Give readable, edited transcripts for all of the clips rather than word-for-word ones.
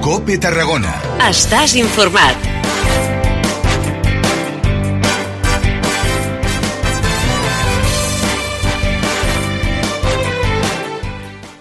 COPE Tarragona. Estàs informat.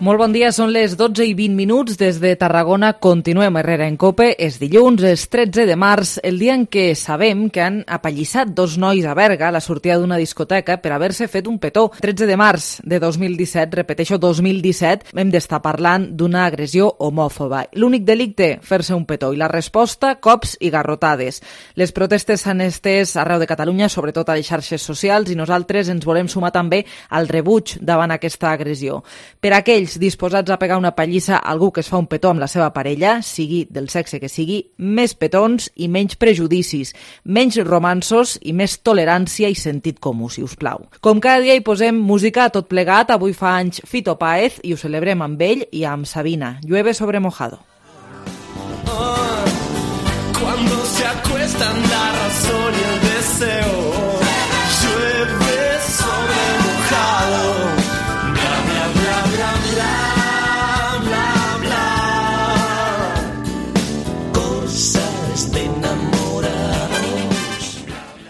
Molt bon dia, són les 12:20 des de Tarragona. Continuem Herrera en COPE. És dilluns, és 13 de març, el dia en què sabem que han apallissat dos nois a Berga a la sortida d'una discoteca per haver-se fet un petó. 13 de març de 2017, repeteixo, 2017, hem d'estar parlant d'una agressió homòfoba. L'únic delicte, fer-se un petó, i la resposta, cops i garrotades. Les protestes s'han estès arreu de Catalunya, sobretot a les xarxes socials, i nosaltres ens volem sumar també al rebuig davant aquesta agressió. Per aquells disposats a pegar una pallissa a algú que es fa un petó amb la seva parella, sigui del sexe que sigui, més petons i menys prejudicis, menys romanços i més tolerància i sentit comú, si us plau. Com cada dia hi posem música a tot plegat, avui fa anys Fito Páez i ho celebrem amb ell i amb Sabina. Llueve sobre mojado. Cuando se acuestan la razón y el deseo, llueve sobre mojado.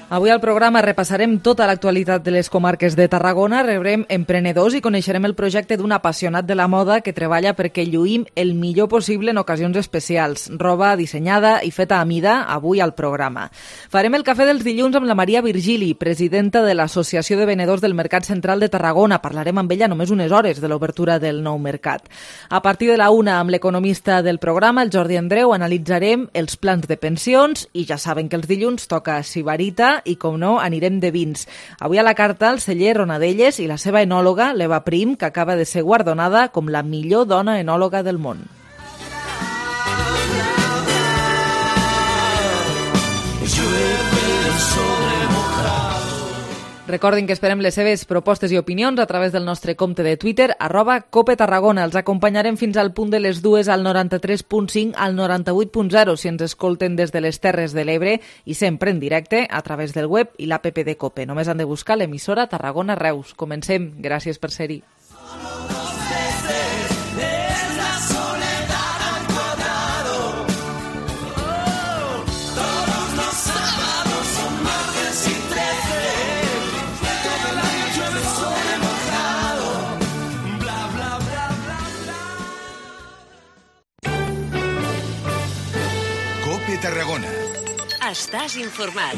Avui al programa repassarem tota l'actualitat de les comarques de Tarragona, rebrem emprenedors i coneixerem el projecte d'un apassionat de la moda que treballa perquè lluïm el millor possible en ocasions especials. Roba dissenyada i feta a mida, avui al programa. Farem el cafè dels dilluns amb la Maria Virgili, presidenta de l'Associació de Venedors del Mercat Central de Tarragona. Parlarem amb ella només unes hores de l'obertura del nou mercat. A partir de la 1, amb l'economista del programa, el Jordi Andreu, analitzarem els plans de pensions i ja saben que els dilluns toca Sibarita i, com no, anirem de vins. Avui a la carta el celler Ronadelles i la seva enòloga, l'Eva Prim, que acaba de ser guardonada com la millor dona enòloga del món. Recordin que esperem les seves propostes i opinions a través del nostre compte de Twitter, @CopeTarragona. Els acompanyarem fins al punt de les 2 al 93.5, al 98.0 si ens escolten des de les Terres de l'Ebre i sempre en directe a través del web i l'app de COPE. Només han de buscar l'emissora Tarragona Reus. Comencem. Gràcies per ser-hi. Tarragona. Estàs informat.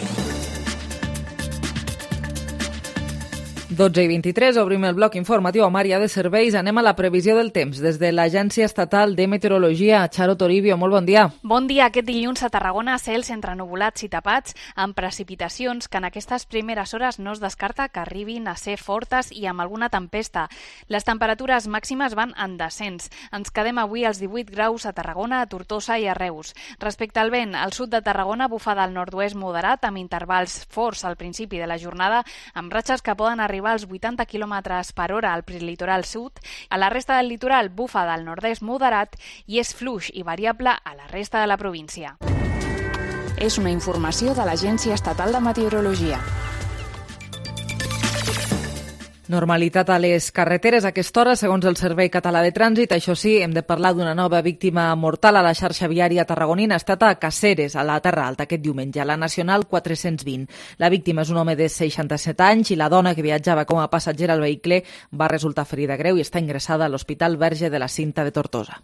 12:23, obrim el bloc informatiu amb àrea de serveis. Anem a la previsió del temps. Des de l'Agència Estatal de Meteorologia, Charo Toribio, molt bon dia. Bon dia. Aquest dilluns a Tarragona, cels entre nuvolats i tapats, amb precipitacions que en aquestes primeres hores no es descarta que arribin a ser fortes i amb alguna tempesta. Les temperatures màximes van en descens. Ens quedem avui als 18 graus a Tarragona, a Tortosa i a Reus. Respecte al vent, al sud de Tarragona bufa del nord-oest moderat, amb intervals forts al principi de la jornada, amb ratxes que poden arribar als 80 km per hora al prelitoral sud. A la resta del litoral bufa del nord-est moderat i és fluix i variable a la resta de la província. És una informació de l'Agència Estatal de Meteorologia. Normalitat a les carreteres a aquesta hora, segons el Servei Català de Trànsit. Això sí, hem de parlar d'una nova víctima mortal a la xarxa viària tarragonina. Ha estat a Caceres, a la Terra Alta, aquest diumenge, a la Nacional 420. La víctima és un home de 67 anys i la dona que viatjava com a passatgera al vehicle va resultar ferida greu i està ingressada a l'Hospital Verge de la Cinta de Tortosa.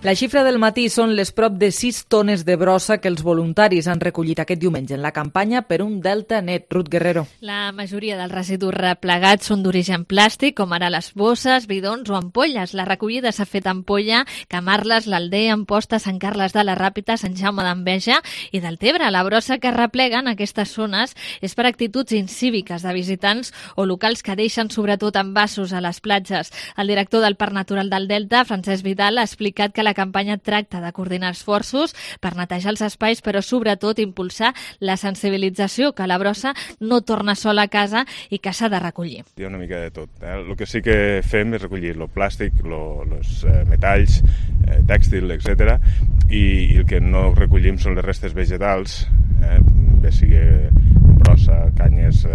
La xifra del matí són les prop de 6 tones de brossa que els voluntaris han recollit aquest diumenge en la campanya per un Delta Net. Ruth Guerrero. La majoria dels residus replegats són d'origen plàstic, com ara les bosses, bidons o ampolles. La recollida s'ha fet a Ampolla, Camarles, l'Aldea, Amposta, Sant Carles de la Ràpita, Sant Jaume d'Enveja i Deltebre. La brossa que repleguen aquestes zones és per actituds incíviques de visitants o locals que deixen sobretot envasos a les platges. El director del Parc Natural del Delta, Francesc Vidal, ha explicat que la campanya tracta de coordinar esforços per netejar els espais, però sobretot impulsar la sensibilització que la brossa no torna sola a casa i que s'ha de recollir. Hi ha una mica de tot. El que sí que fem és recollir el plàstic, els metalls, tèxtil, etc. I el que no recollim són les restes vegetals, bé sigui brossa, canyes,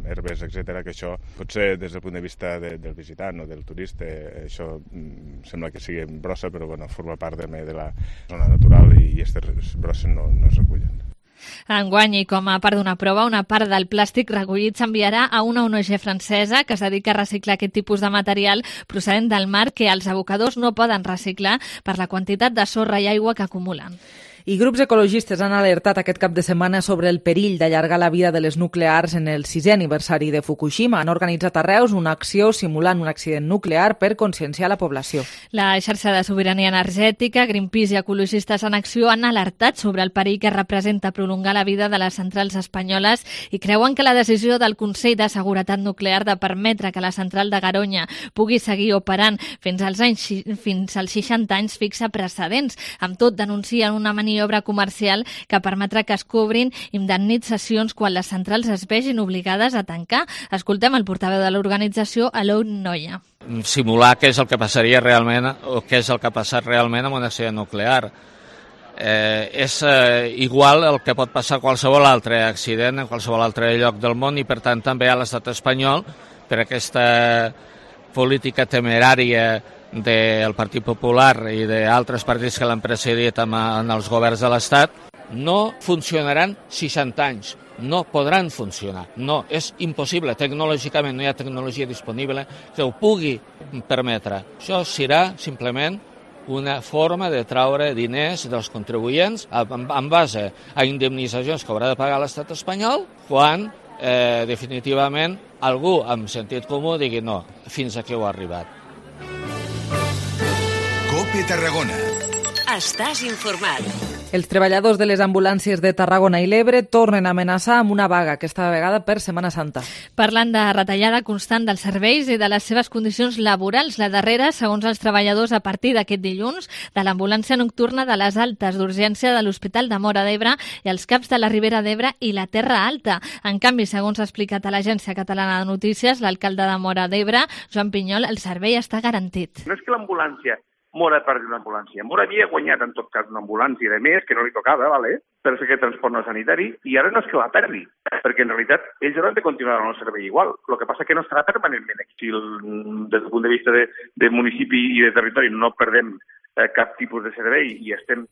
herbes, etc., que això potser des del punt de vista del visitant o del turista això sembla que sigui brossa, però bueno, forma part també de la zona natural i aquestes brosses no es recullen. Enguany, i com a part d'una prova, una part del plàstic recollit s'enviarà a una ONG francesa que es dedica a reciclar aquest tipus de material procedent del mar que els abocadors no poden reciclar per la quantitat de sorra i aigua que acumulen. I grups ecologistes han alertat aquest cap de setmana sobre el perill d'allargar la vida de les nuclears en el 6è aniversari de Fukushima. Han organitzat a Reus una acció simulant un accident nuclear per conscienciar la població. La xarxa de sobirania energètica, Greenpeace i Ecologistes en Acció han alertat sobre el perill que representa prolongar la vida de les centrals espanyoles i creuen que la decisió del Consell de Seguretat Nuclear de permetre que la central de Garoña pugui seguir operant fins als 60 anys fixa precedents. Amb tot, denuncien una maniobra comercial que permetrà que es cobrin indemnitzacions quan les centrals es vegin obligades a tancar. Escoltem el portaveu de l'organització, Alon Noia. Simular què és el que passaria realment o què és el que ha passat realment amb un accident nuclear. És igual el que pot passar a qualsevol altre accident en qualsevol altre lloc del món i per tant també a l'estat espanyol per aquesta política temerària del Partit Popular i d'altres partits que l'han precedit en els governs de l'Estat, no funcionaran 60 anys, no podran funcionar, no, és impossible, tecnològicament no hi ha tecnologia disponible que ho pugui permetre. Això serà simplement una forma de traure diners dels contribuents en base a indemnitzacions que haurà de pagar l'estat espanyol quan definitivament algú amb sentit comú digui no, fins aquí ho ha arribat. COPE Tarragona. Estàs informat. Els treballadors de les ambulàncies de Tarragona i l'Ebre tornen a amenaçar amb una vaga, aquesta vegada per Setmana Santa. Parlant de retallada constant dels serveis i de les seves condicions laborals, la darrera, segons els treballadors, a partir d'aquest dilluns, de l'ambulància nocturna de les altes d'urgència de l'Hospital de Móra d'Ebre i els CAPs de la Ribera d'Ebre i la Terra Alta. En canvi, segons ha explicat a l'Agència Catalana de Notícies, l'alcalde de Móra d'Ebre, Joan Pinyol, el servei està garantit. No és que l'ambulància Móra perdi una ambulància. Móra havia guanyat, en tot cas, una ambulància de més, que no li tocava, per fer aquest transport no sanitari, i ara no és que la perdi, perquè en realitat ells hauran de continuar en el servei igual. El que passa que no estarà permanentment aquí. Si des del punt de vista de municipi i de territori no perdem cap tipus de servei i estem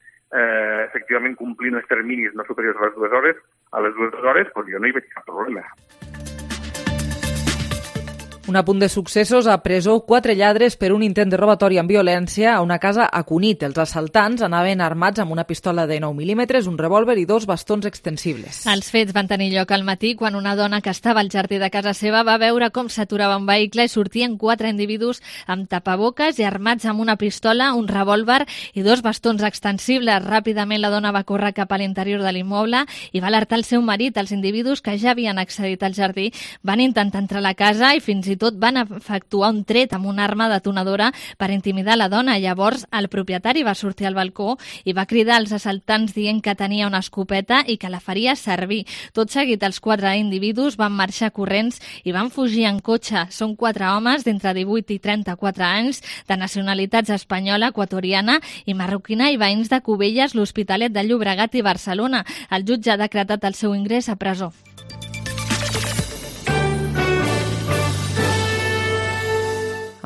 efectivament complint els terminis no superiors a les 2 hores, doncs jo no hi veig cap problema. Un apunt de successos: a presó 4 lladres per un intent de robatori amb violència a una casa a Cunit. Els assaltants anaven armats amb una pistola de 9 mm, un revòlver i 2 bastons extensibles. Els fets van tenir lloc al matí quan una dona que estava al jardí de casa seva va veure com s'aturava un vehicle i sortien 4 individus amb tapaboques i armats amb una pistola, un revòlver i 2 bastons extensibles. Ràpidament la dona va córrer cap a l'interior de l'immoble i va alertar el seu marit. Els individus que ja havien accedit al jardí van intentar entrar a la casa i fins i tot van efectuar un tret amb una arma detonadora per intimidar la dona. Llavors el propietari va sortir al balcó i va cridar als assaltants dient que tenia una escopeta i que la faria servir. Tot seguit els 4 individus van marxar corrents i van fugir en cotxe. Són 4 homes d'entre 18 i 34 anys, de nacionalitats espanyola, equatoriana i marroquina i veïns de Cubelles, l'Hospitalet de Llobregat i Barcelona. El jutge ha decretat el seu ingrés a presó.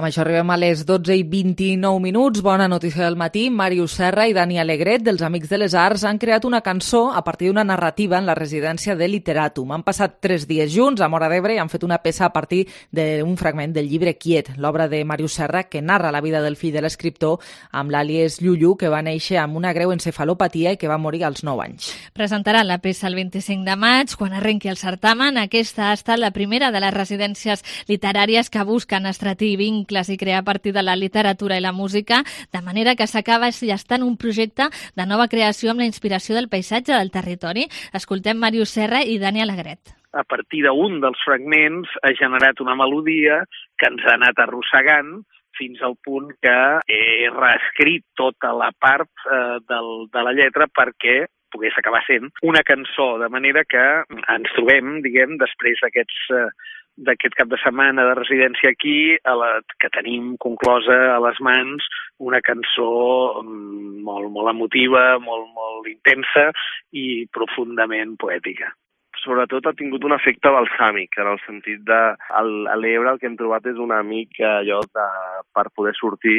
Amb això arribem a les 12:29. Bona notícia del matí. Màrius Serra i Dani Alegret, dels Amics de les Arts, han creat una cançó a partir d'una narrativa en la residència de Literatum. Han passat 3 dies junts a Móra d'Ebre i han fet una peça a partir d'un fragment del llibre Quiet, l'obra de Màrius Serra, que narra la vida del fill de l'escriptor amb l'àlies Llullu, que va néixer amb una greu encefalopatia i que va morir als 9 anys. Presentarà la peça el 25 de maig, quan arrenqui el certamen. Aquesta ha estat la primera de les residències literàries que busquen estratir vincles i crear a partir de la literatura i la música, de manera que s'acaba gestant un projecte de nova creació amb la inspiració del paisatge del territori. Escoltem Màrius Serra i Dani Alegret. A partir d'un dels fragments ha generat una melodia que ens ha anat arrossegant fins al punt que he reescrit tota la part de la lletra perquè pogués acabar sent una cançó, de manera que ens trobem, després d'aquest cap de setmana de residència aquí, que tenim conclosa a les mans una cançó molt emotiva, molt intensa i profundament poètica. sobretot ha tingut un efecte balsàmic, en el sentit de a l'Ebre el que hem trobat és una mica allò per poder sortir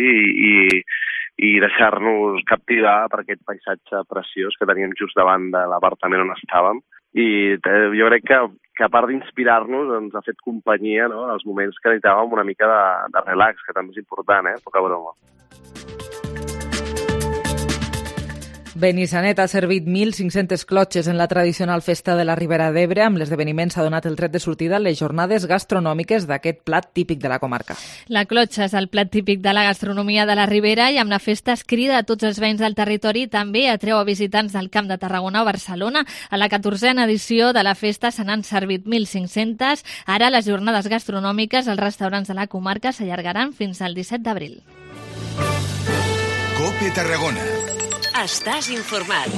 i deixar-nos captivar per aquest paisatge preciós que teníem just davant de l'apartament on estàvem. I jo crec que a part d'inspirar-nos ens ha fet companyia, no?, en els moments que necessitàvem una mica de relax, que també és important, poca broma. Benissanet ha servit 1.500 clotxes en la tradicional festa de la Ribera d'Ebre. Amb l'esdeveniment s'ha donat el tret de sortida a les jornades gastronòmiques d'aquest plat típic de la comarca. La clotxa és el plat típic de la gastronomia de la Ribera i amb la festa es crida a tots els veïns del territori, també atreu a visitants del Camp de Tarragona o Barcelona. A la 14a edició de la festa se n'han servit 1.500. Ara les jornades gastronòmiques als restaurants de la comarca s'allargaran fins al 17 d'abril. COPE Tarragona. Estàs informat.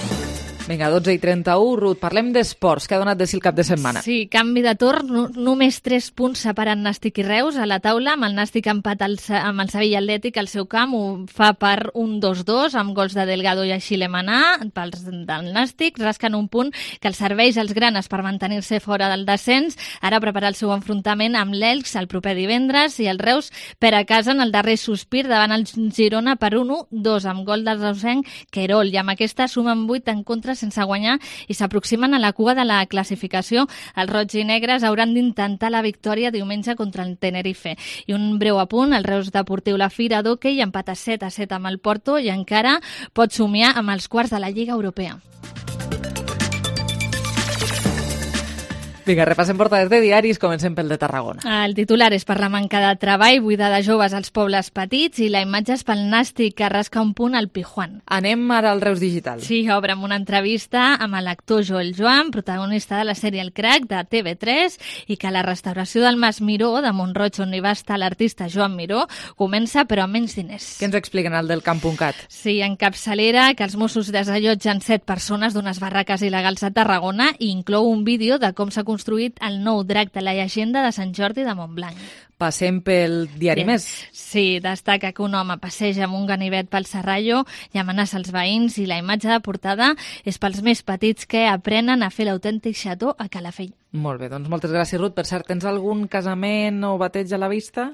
Vinga, 12:31, Ruth, parlem d'esports. Què ha donat de si el cap de setmana? Sí, canvi de torn, només 3 punts separen Nàstic i Reus a la taula, amb el Nàstic empat amb el Sevilla Atlètic al seu camp, ho fa per un 2-2, amb gols de Delgado i Axilemanà, pels del Nàstic, rasquen un punt que els serveix als granes per mantenir-se fora del descens, ara preparar el seu enfrontament amb l'Elx el proper divendres, i el Reus per a casa en el darrer sospir davant el Girona per 1-2, amb gol del reusenc Querol, i amb aquesta sumen 8 en contra sense guanyar i s'aproximen a la cua de la classificació. Els roig i negres hauran d'intentar la victòria diumenge contra el Tenerife. I un breu apunt, el Reus Deportiu La Fira d'hoquei empata 7-7 amb el Porto i encara pot somiar amb els quarts de la Lliga Europea. Vinga, repassem portades de diaris, comencem pel de Tarragona. El titular és per la manca de treball, buida de joves als pobles petits, i la imatge és pel Nàstic, que rasca un punt al Pijuan. Anem ara al Reus Digital. Sí, obre amb una entrevista amb l'actor Joel Joan, protagonista de la sèrie El Crac, de TV3, i que la restauració del Mas Miró, de Montroig, on hi va estar l'artista Joan Miró, comença però amb menys diners. Què ens expliquen al del Camp.cat? Sí, en capçalera, que els Mossos desallotgen 7 persones d'unes barraques il·legals a Tarragona i inclou un vídeo de com s'ha construït el nou drac de la llegenda de Sant Jordi de Montblanc. Passem pel diari Més. Sí, destaca que un home passeja amb un ganivet pel Serrallo i amenaça els veïns, i la imatge de portada és pels més petits que aprenen a fer l'autèntic xató a Calafell. Molt bé, doncs moltes gràcies, Ruth. Per cert, tens algun casament o bateig a la vista?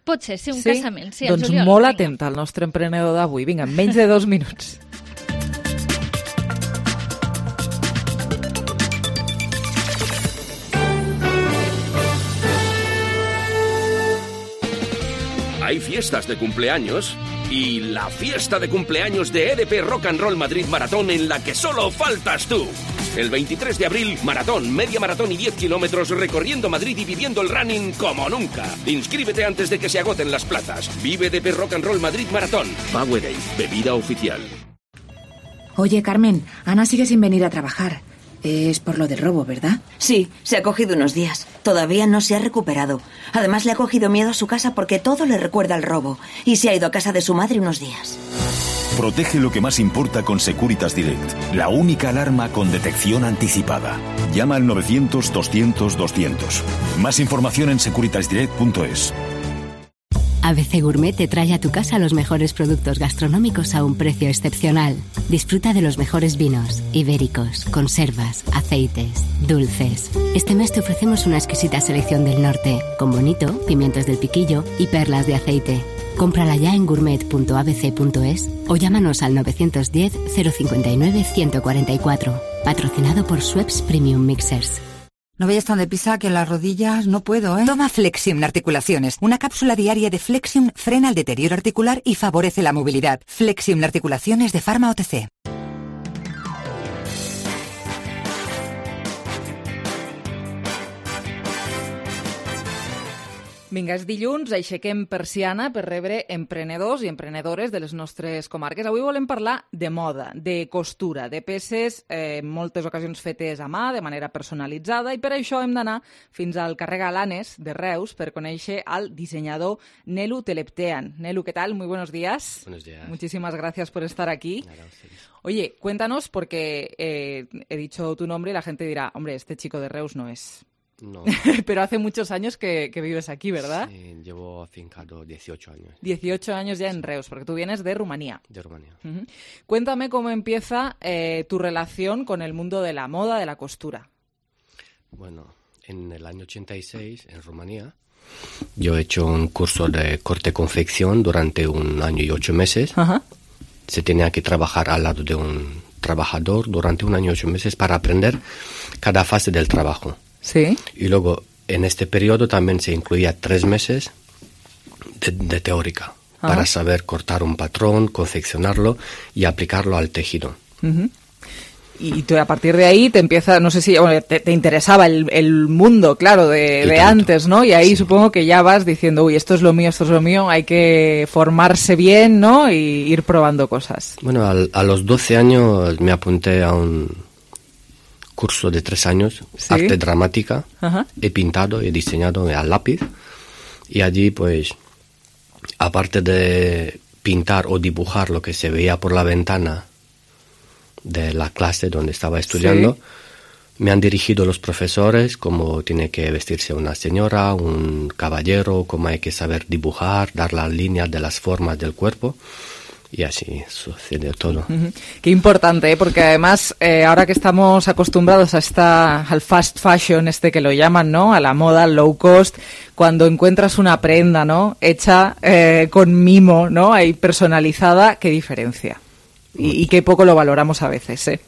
Pot ser, sí, un casament. Sí, doncs juliol, molt atenta al nostre emprenedor d'avui. Vinga, en menys de 2 minuts. Hay fiestas de cumpleaños y la fiesta de cumpleaños de EDP Rock and Roll Madrid Maratón, en la que solo faltas tú. El 23 de abril, maratón, media maratón y 10 kilómetros recorriendo Madrid y viviendo el running como nunca. Inscríbete antes de que se agoten las plazas. Vive EDP Rock and Roll Madrid Maratón. Powerade, bebida oficial. Oye, Carmen, Ana sigue sin venir a trabajar. Es por lo del robo, ¿verdad? Sí, se ha cogido unos días. Todavía no se ha recuperado. Además, le ha cogido miedo a su casa porque todo le recuerda al robo. Y se ha ido a casa de su madre unos días. Protege lo que más importa con Securitas Direct, la única alarma con detección anticipada. Llama al 900-200-200. Más información en securitasdirect.es. ABC Gourmet te trae a tu casa los mejores productos gastronómicos a un precio excepcional. Disfruta de los mejores vinos, ibéricos, conservas, aceites, dulces. Este mes te ofrecemos una exquisita selección del norte, con bonito, pimientos del piquillo y perlas de aceite. Cómprala ya en gourmet.abc.es o llámanos al 910 059 144. Patrocinado por Schweppes Premium Mixers. No vayas tan deprisa que las rodillas no puedo, ¿eh? Toma Flexium Articulaciones. Una cápsula diaria de Flexium frena el deterioro articular y favorece la movilidad. Flexium Articulaciones de Pharma OTC. Vinga, és dilluns, aixequem persiana per rebre emprenedors i emprenedores de les nostres comarques. Avui volem parlar de moda, de costura, de peces en moltes ocasions fetes a mà, de manera personalitzada, i per això hem d'anar fins al carrer Galanes de Reus per conèixer al diseñador Nelu Teleptean. Nelu, ¿qué tal? Muy buenos días. Buenos días. Muchísimas gracias por estar aquí. Oye, cuéntanos, porque he dicho tu nombre y la gente dirá, hombre, este chico de Reus no es... No. Pero hace muchos años que vives aquí, ¿verdad? Sí, llevo afincado 18 años. 18 años ya en Reus, porque tú vienes de Rumanía. De Rumanía. Uh-huh. Cuéntame cómo empieza tu relación con el mundo de la moda, de la costura. Bueno, en el año 86, en Rumanía, yo he hecho un curso de corte-confección durante 1 año y 8 meses. Ajá. Se tenía que trabajar al lado de un trabajador durante 1 año y 8 meses para aprender cada fase del trabajo. Sí. Y luego, en este periodo también se incluía 3 meses de teórica para saber cortar un patrón, confeccionarlo y aplicarlo al tejido. Uh-huh. Y tú, a partir de ahí te empieza, no sé si te interesaba el mundo, claro, de antes, ¿no? Y ahí supongo que ya vas diciendo, uy, esto es lo mío, hay que formarse bien, ¿no? Y ir probando cosas. Bueno, a los 12 años me apunté a un curso de 3 años, ¿sí? Arte dramática. Ajá. He pintado, he diseñado al lápiz. Y allí, pues, aparte de pintar o dibujar lo que se veía por la ventana de la clase donde estaba estudiando, sí, me han dirigido los profesores cómo tiene que vestirse una señora, un caballero, cómo hay que saber dibujar, dar las líneas de las formas del cuerpo, y así sucede todo. Uh-huh. Qué importante, porque además ahora que estamos acostumbrados al fast fashion, que lo llaman, ¿no? A la moda, al low cost, cuando encuentras una prenda, ¿no? Hecha con mimo, ¿no? Ahí personalizada, qué diferencia. Y qué poco lo valoramos a veces, ¿eh?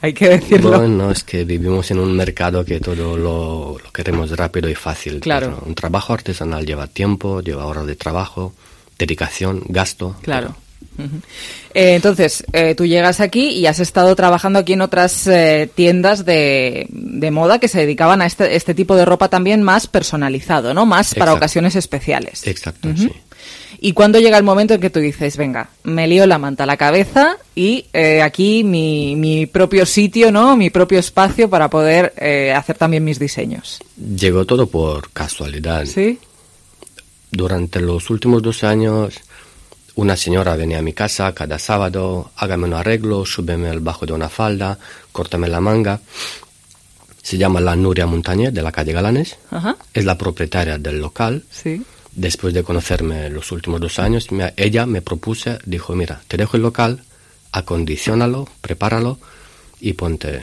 Hay que decirlo. Bueno, es que vivimos en un mercado que todo lo queremos rápido y fácil. Claro. Un trabajo artesanal lleva tiempo, lleva horas de trabajo, dedicación, gasto. Claro. Uh-huh. Entonces, tú llegas aquí y has estado trabajando aquí en otras tiendas de moda que se dedicaban a este tipo de ropa también más personalizado, ¿no? Más para ocasiones especiales. Exacto, uh-huh. Sí. ¿Y cuándo llega el momento en que tú dices, venga, me lío la manta a la cabeza y aquí mi propio sitio, ¿no? Mi propio espacio para poder hacer también mis diseños? Llegó todo por casualidad. ¿Sí? Durante los últimos 2 años, una señora venía a mi casa cada sábado, hágame un arreglo, súbeme el bajo de una falda, córtame la manga. Se llama la Nuria Montañer, de la calle Galanes. Ajá. Es la propietaria del local. Sí. Después de conocerme los últimos 2 años, ella me propuso, dijo, mira, te dejo el local, acondiciónalo, prepáralo y ponte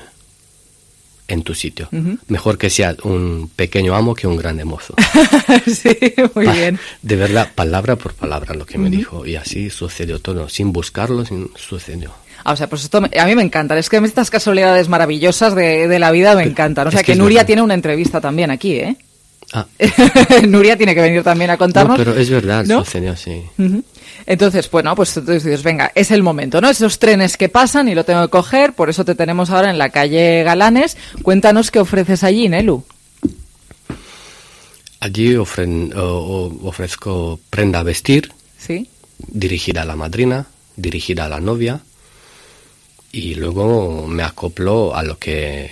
en tu sitio. Uh-huh. Mejor que sea un pequeño amo que un grande mozo. Sí, muy bien. De verdad, palabra por palabra lo que me dijo. Y así sucedió todo, sin buscarlo, sucedió. O sea, pues esto a mí me encantan. Es que estas casualidades maravillosas de la vida me encantan. O sea, que Nuria tiene una entrevista también aquí, ¿eh? Ah. Nuria tiene que venir también a contarnos. No, pero es verdad, ¿no? Sucedió así. Uh-huh. Entonces, bueno, pues tú dices, venga, es el momento, ¿no? Esos trenes que pasan y lo tengo que coger, por eso te tenemos ahora en la calle Galanes. Cuéntanos qué ofreces allí, Nelu. Allí ofrezco prenda a vestir, ¿sí? Dirigida a la madrina, dirigida a la novia, y luego me acoplo a lo que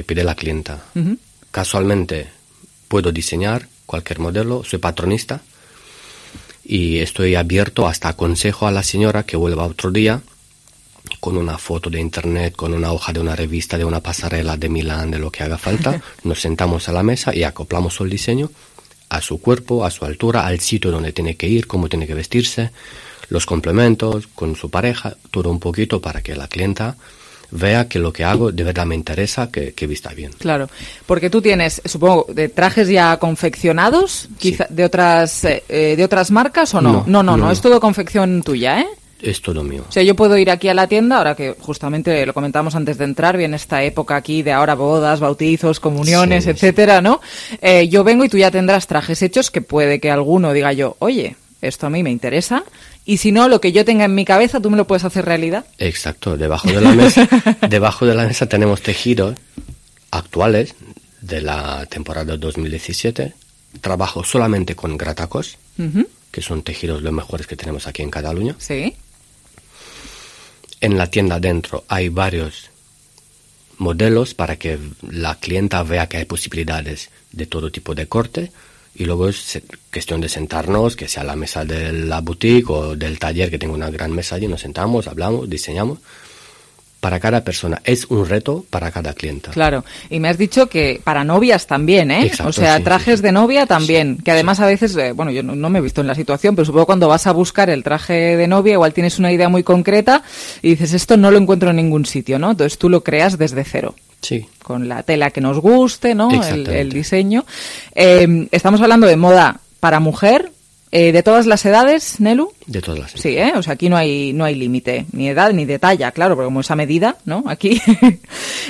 pide la clienta. Uh-huh. Casualmente puedo diseñar cualquier modelo, soy patronista y estoy abierto hasta aconsejo a la señora que vuelva otro día con una foto de internet, con una hoja de una revista, de una pasarela de Milán, de lo que haga falta. Nos sentamos a la mesa y acoplamos el diseño a su cuerpo, a su altura, al sitio donde tiene que ir, cómo tiene que vestirse, los complementos, con su pareja, todo un poquito para que la clienta vea que lo que hago de verdad me interesa, que vista bien. Claro, porque tú tienes, supongo, de trajes ya confeccionados, quizá de otras marcas o no? No, es todo confección tuya, ¿eh? Es todo mío. O sea, yo puedo ir aquí a la tienda, ahora que justamente lo comentamos antes de entrar, viene esta época aquí de ahora bodas, bautizos, comuniones, etcétera, ¿no? Yo vengo y tú ya tendrás trajes hechos que puede que alguno diga yo, oye, esto a mí me interesa. Y si no, lo que yo tenga en mi cabeza, ¿tú me lo puedes hacer realidad? Exacto. Debajo de la mesa tenemos tejidos actuales de la temporada 2017. Trabajo solamente con gratacos, uh-huh, que son tejidos los mejores que tenemos aquí en Cataluña. Sí. En la tienda adentro hay varios modelos para que la clienta vea que hay posibilidades de todo tipo de corte. Y luego es cuestión de sentarnos, que sea la mesa de la boutique o del taller, que tengo una gran mesa allí, nos sentamos, hablamos, diseñamos. Para cada persona, es un reto para cada clienta. Claro, y me has dicho que para novias también, ¿eh? Exacto, o sea, trajes de novia también, que además a veces, bueno, yo no me he visto en la situación, pero supongo cuando vas a buscar el traje de novia, igual tienes una idea muy concreta y dices, esto no lo encuentro en ningún sitio, ¿no? Entonces tú lo creas desde cero. Sí. Con la tela que nos guste, ¿no? El diseño. Estamos hablando de moda para mujer, ¿de todas las edades, Nelu? De todas las edades. Sí, o sea, aquí no hay límite, ni edad ni de talla, claro, porque como esa medida, ¿no? Aquí.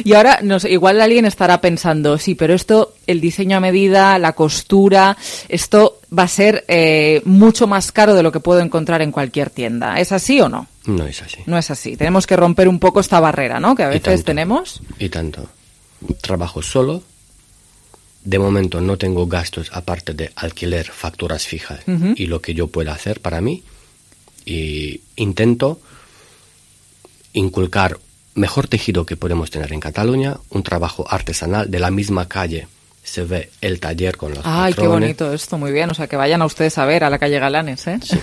Y ahora, igual alguien estará pensando, sí, pero esto, el diseño a medida, la costura, esto va a ser mucho más caro de lo que puedo encontrar en cualquier tienda. ¿Es así o no? No es así. No es así. Tenemos que romper un poco esta barrera, ¿no? Que a veces tenemos. Y tanto. Trabajo solo. De momento no tengo gastos aparte de alquiler, facturas fijas y lo que yo pueda hacer para mí. Y intento inculcar mejor tejido que podemos tener en Cataluña, un trabajo artesanal. De la misma calle se ve el taller con los patrones. Ay, qué bonito esto, muy bien. O sea, que vayan a ustedes a ver a la calle Galanes, ¿eh? Sí,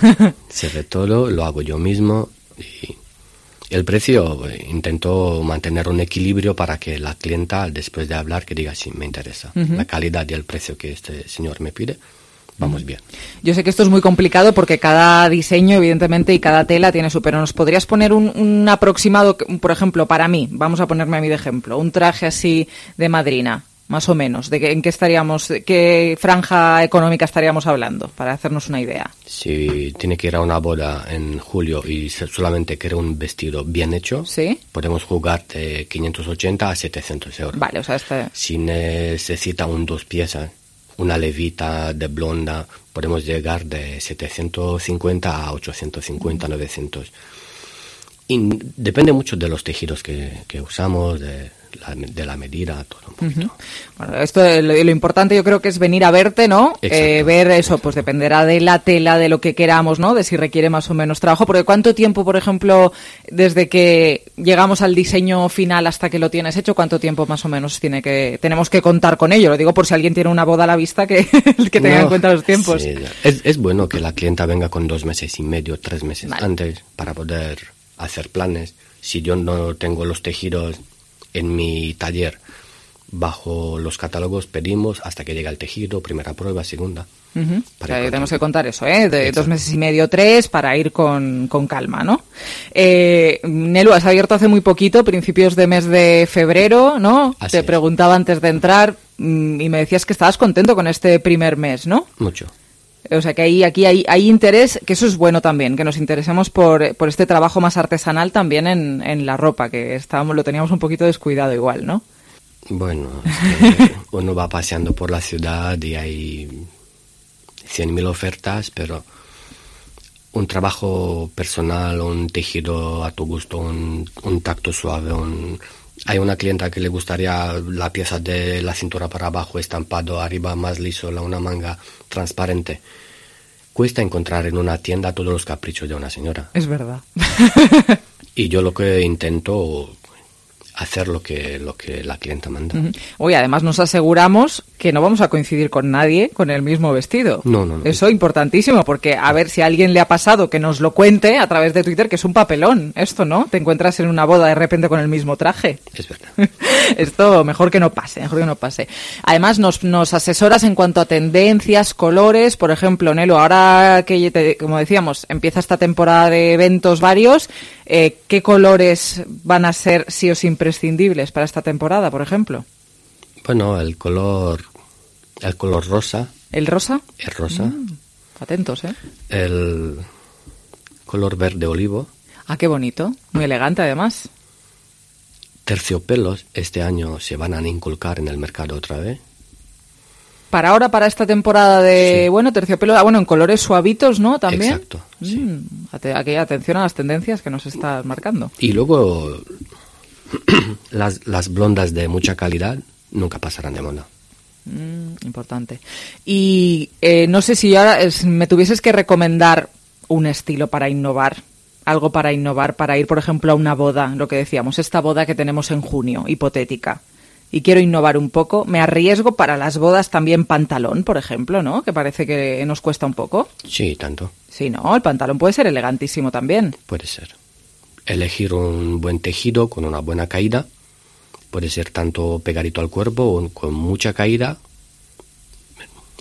se ve todo, lo hago yo mismo y el precio intento mantener un equilibrio para que la clienta, después de hablar, que diga sí, me interesa. La calidad y el precio que este señor me pide, vamos bien. Yo sé que esto es muy complicado porque cada diseño, evidentemente, y cada tela tiene su... Pero ¿nos podrías poner un aproximado, por ejemplo, para mí? Vamos a ponerme a mí de ejemplo. Un traje así de madrina, más o menos. ¿En qué estaríamos, qué franja económica estaríamos hablando? Para hacernos una idea. Si tiene que ir a una boda en julio y solamente quiere un vestido bien hecho, ¿sí? Podemos jugar de 580 a 700 euros. Vale, o sea, Si necesita un 2 piezas, una levita de blonda, podemos llegar de 750 a 850, 900. Y depende mucho de los tejidos que usamos, de la medida, todo un poquito. Bueno, esto lo importante yo creo que es venir a verte, ¿no? Ver eso, pues dependerá de la tela, de lo que queramos, ¿no? De si requiere más o menos trabajo. Porque ¿cuánto tiempo, por ejemplo, desde que llegamos al diseño final hasta que lo tienes hecho, cuánto tiempo más o menos tenemos que contar con ello? Lo digo por si alguien tiene una boda a la vista que tenga en cuenta los tiempos. Sí, es bueno que la clienta venga con 2 meses y medio, 3 meses antes para poder hacer planes. Si yo no tengo los tejidos en mi taller, bajo los catálogos pedimos hasta que llega el tejido, primera prueba, segunda. O sea, tenemos que contar eso, de 2 meses y medio, 3, para ir con calma, ¿no? Nelu, has abierto hace muy poquito, principios de mes de febrero, ¿no? Te preguntaba antes de entrar y me decías que estabas contento con este primer mes, ¿no? Mucho. O sea, que aquí hay interés, que eso es bueno también, que nos interesemos por este trabajo más artesanal también en la ropa, que lo teníamos un poquito descuidado igual, ¿no? Bueno, uno va paseando por la ciudad y hay 100.000 ofertas, pero un trabajo personal, un tejido a tu gusto, un tacto suave, hay una clienta que le gustaría la pieza de la cintura para abajo estampado, arriba más liso, una manga transparente. Cuesta encontrar en una tienda todos los caprichos de una señora. Es verdad. Y yo lo que intento hacer lo que la clienta manda. Oye, además nos aseguramos que no vamos a coincidir con nadie con el mismo vestido. No. Eso importantísimo, porque a ver si a alguien le ha pasado, que nos lo cuente a través de Twitter, que es un papelón esto, ¿no? Te encuentras en una boda de repente con el mismo traje. Es verdad. Esto mejor que no pase. Además nos asesoras en cuanto a tendencias, colores. Por ejemplo, Nelu, ahora que, como decíamos, empieza esta temporada de eventos varios, ¿qué colores van a ser sí o sí imprescindibles para esta temporada, por ejemplo? Bueno, el color rosa. ¿El rosa? El rosa. Atentos, ¿eh? El color verde olivo. Ah, qué bonito. Muy elegante, además. Terciopelos este año se van a inculcar en el mercado otra vez. Para esta temporada de, terciopelo, en colores suavitos, ¿no? También. Exacto, sí. Atención a las tendencias que nos estás marcando. Y luego las blondas de mucha calidad nunca pasarán de moda. Importante. Y no sé si ahora me tuvieses que recomendar un estilo para innovar, algo para innovar, para ir, por ejemplo, a una boda, lo que decíamos, esta boda que tenemos en junio, hipotética, y quiero innovar un poco, me arriesgo para las bodas también pantalón, por ejemplo, ¿no? Que parece que nos cuesta un poco. Sí, tanto. Sí, ¿no? El pantalón puede ser elegantísimo también. Puede ser. Elegir un buen tejido con una buena caída. Puede ser tanto pegadito al cuerpo o con mucha caída.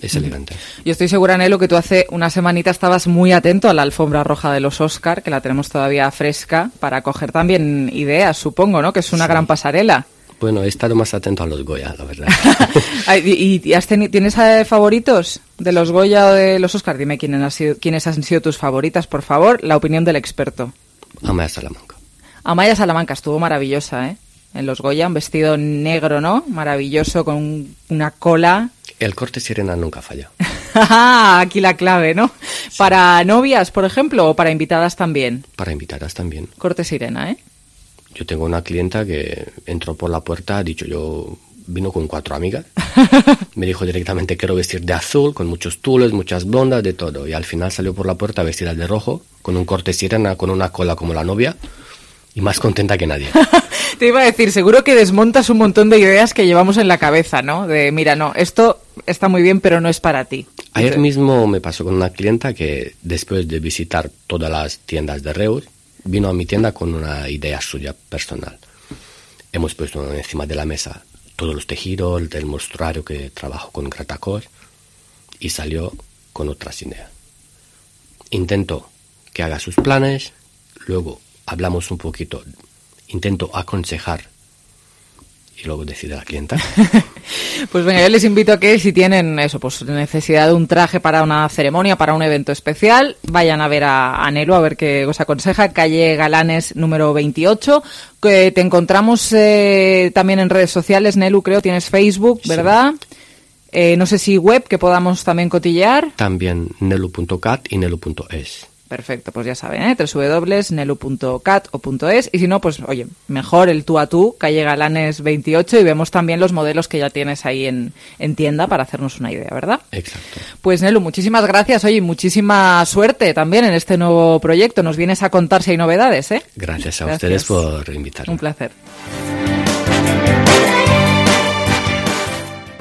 Es elegante. Yo estoy segura, Nelu, que tú hace una semanita estabas muy atento a la alfombra roja de los Oscar, que la tenemos todavía fresca, para coger también ideas, supongo, ¿no? Que es una gran pasarela. Bueno, he estado más atento a los Goya, la verdad. ¿Y tienes favoritos de los Goya o de los Oscar? Dime quiénes han sido tus favoritas, por favor. La opinión del experto. Amaya Salamanca. Amaya Salamanca estuvo maravillosa, ¿eh? En los Goya, un vestido negro, ¿no? Maravilloso, con una cola. El corte sirena nunca falla. Aquí la clave, ¿no? Sí. ¿Para novias, por ejemplo, o para invitadas también? Para invitadas también. Corte sirena, ¿eh? Yo tengo una clienta que entró por la puerta, vino con 4 amigas. Me dijo directamente, quiero vestir de azul, con muchos tules, muchas blondas, de todo. Y al final salió por la puerta vestida de rojo, con un corte sirena, con una cola como la novia, y más contenta que nadie. Te iba a decir, seguro que desmontas un montón de ideas que llevamos en la cabeza, ¿no? De, mira, no, esto está muy bien, pero no es para ti. Ayer mismo me pasó con una clienta que, después de visitar todas las tiendas de Reus, vino a mi tienda con una idea suya personal. Hemos puesto encima de la mesa todos los tejidos del mostruario que trabajo con Gratacor y salió con otras ideas. Intento que haga sus planes, luego hablamos un poquito, intento aconsejar y luego decide la clienta. Pues venga, yo les invito a que si tienen eso, pues necesidad de un traje para una ceremonia, para un evento especial, vayan a ver a Nelu, a ver qué os aconseja. Calle Galanes número 28, que te encontramos también en redes sociales, Nelu, creo, tienes Facebook, ¿verdad? Sí. No sé si web, que podamos también cotillear. También nelu.cat y nelu.es. Perfecto, pues ya saben, www.nelu.cat o .es, y si no, pues oye, mejor el tú a tú, calle Galanes 28, y vemos también los modelos que ya tienes ahí en tienda para hacernos una idea, ¿verdad? Exacto. Pues Nelu, muchísimas gracias, oye, muchísima suerte también en este nuevo proyecto, nos vienes a contar si hay novedades, ¿eh? Gracias a ustedes por invitarme. Un placer.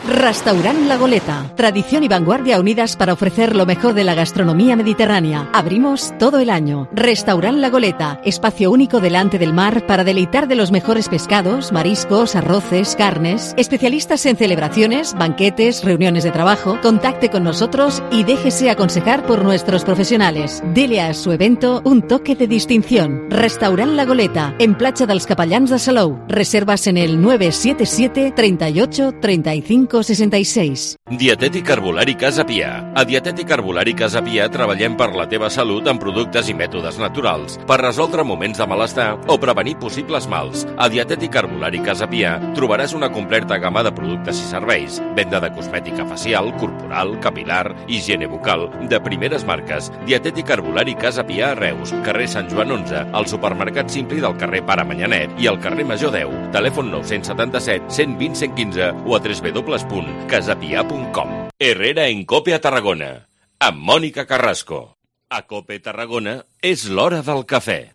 Restaurant La Goleta. Tradición y vanguardia unidas para ofrecer lo mejor de la gastronomía mediterránea. Abrimos todo el año. Restaurant La Goleta. Espacio único delante del mar para deleitar de los mejores pescados, mariscos, arroces, carnes. Especialistas en celebraciones, banquetes, reuniones de trabajo. Contacte con nosotros y déjese aconsejar por nuestros profesionales. Dele a su evento un toque de distinción. Restaurant La Goleta. En Platja dels Capellans de Salou. Reservas en el 977 38 35 66. Dietètic Herbolari Casa Pia. A Dietètic Herbolari Casa Pia treballem per la teva salut amb productes i mètodes naturals, per resoldre moments de malestar o prevenir possibles mals. A Dietètic Herbolari Casa Pia trobaràs una completa gamma de productes i serveis, venda de cosmètica facial, corporal, capilar, higiene bucal, de primeres marques. Dietètic Herbolari Casa Pia a Reus, carrer Sant Joan 11, al supermercat Simpli del carrer Pare Manyanet i al carrer Major 10. Telèfon 977 120 115 o a www.casapia.com. Herrera en Cope a Tarragona, amb Mònica Carrasco. A Cope Tarragona és l'hora del cafè.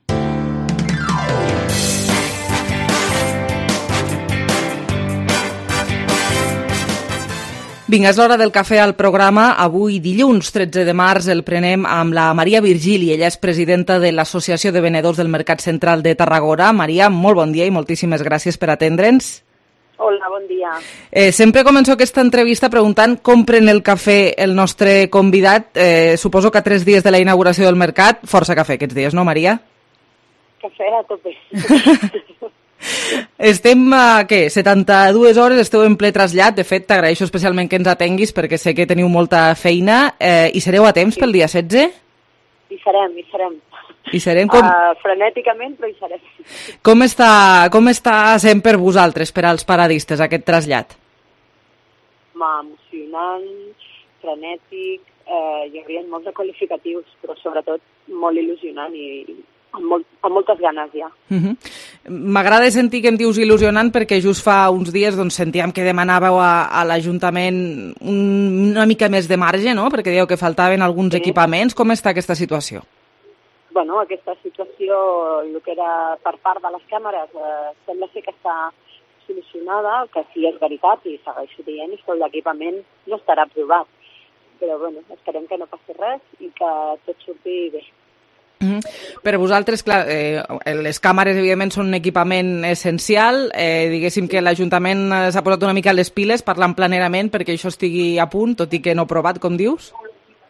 Vinga, és l'hora del cafè al programa. Avui, dilluns 13 de març, el prenem amb la Maria Virgili. Ella és presidenta de l'Associació de Venedors del Mercat Central de Tarragona. Maria, molt bon dia i moltíssimes gràcies per atendre'ns. Hola, bon dia. Sempre començo aquesta entrevista preguntant com pren el cafè el nostre convidat. Suposo que a 3 dies de la inauguració del mercat, força cafè aquests dies, no, Maria? Cafè a tope. Estem, 72 hores, esteu en ple trasllat. De fet, t'agraeixo especialment que ens atenguis perquè sé que teniu molta feina. I sereu a temps pel dia 16? Hi serem. I serem com... frenèticament, però hi serem. Com està sent per vosaltres, per als paradistes, aquest trasllat? Emocionant, frenètic, hi havia molts de qualificatius, però sobretot molt il·lusionant i amb moltes ganes ja. M'agrada sentir que em dius il·lusionant perquè just fa uns dies sentíem que demanàveu a l'Ajuntament una mica més de marge, no? Perquè dieu que faltaven alguns equipaments. Com està aquesta situació? Bueno, aquesta situació, el que era per part de les càmeres, sembla ser que està solucionada, que sí és veritat, i segueixo dient, que l'equipament no estarà aprovat. Però, bueno, esperem que no passi res i que tot surti bé. Per vosaltres, clar, les càmeres, evidentment, són un equipament essencial. Diguéssim que l'Ajuntament s'ha posat una mica les piles parlant planerament perquè això estigui a punt, tot i que no provat, com dius?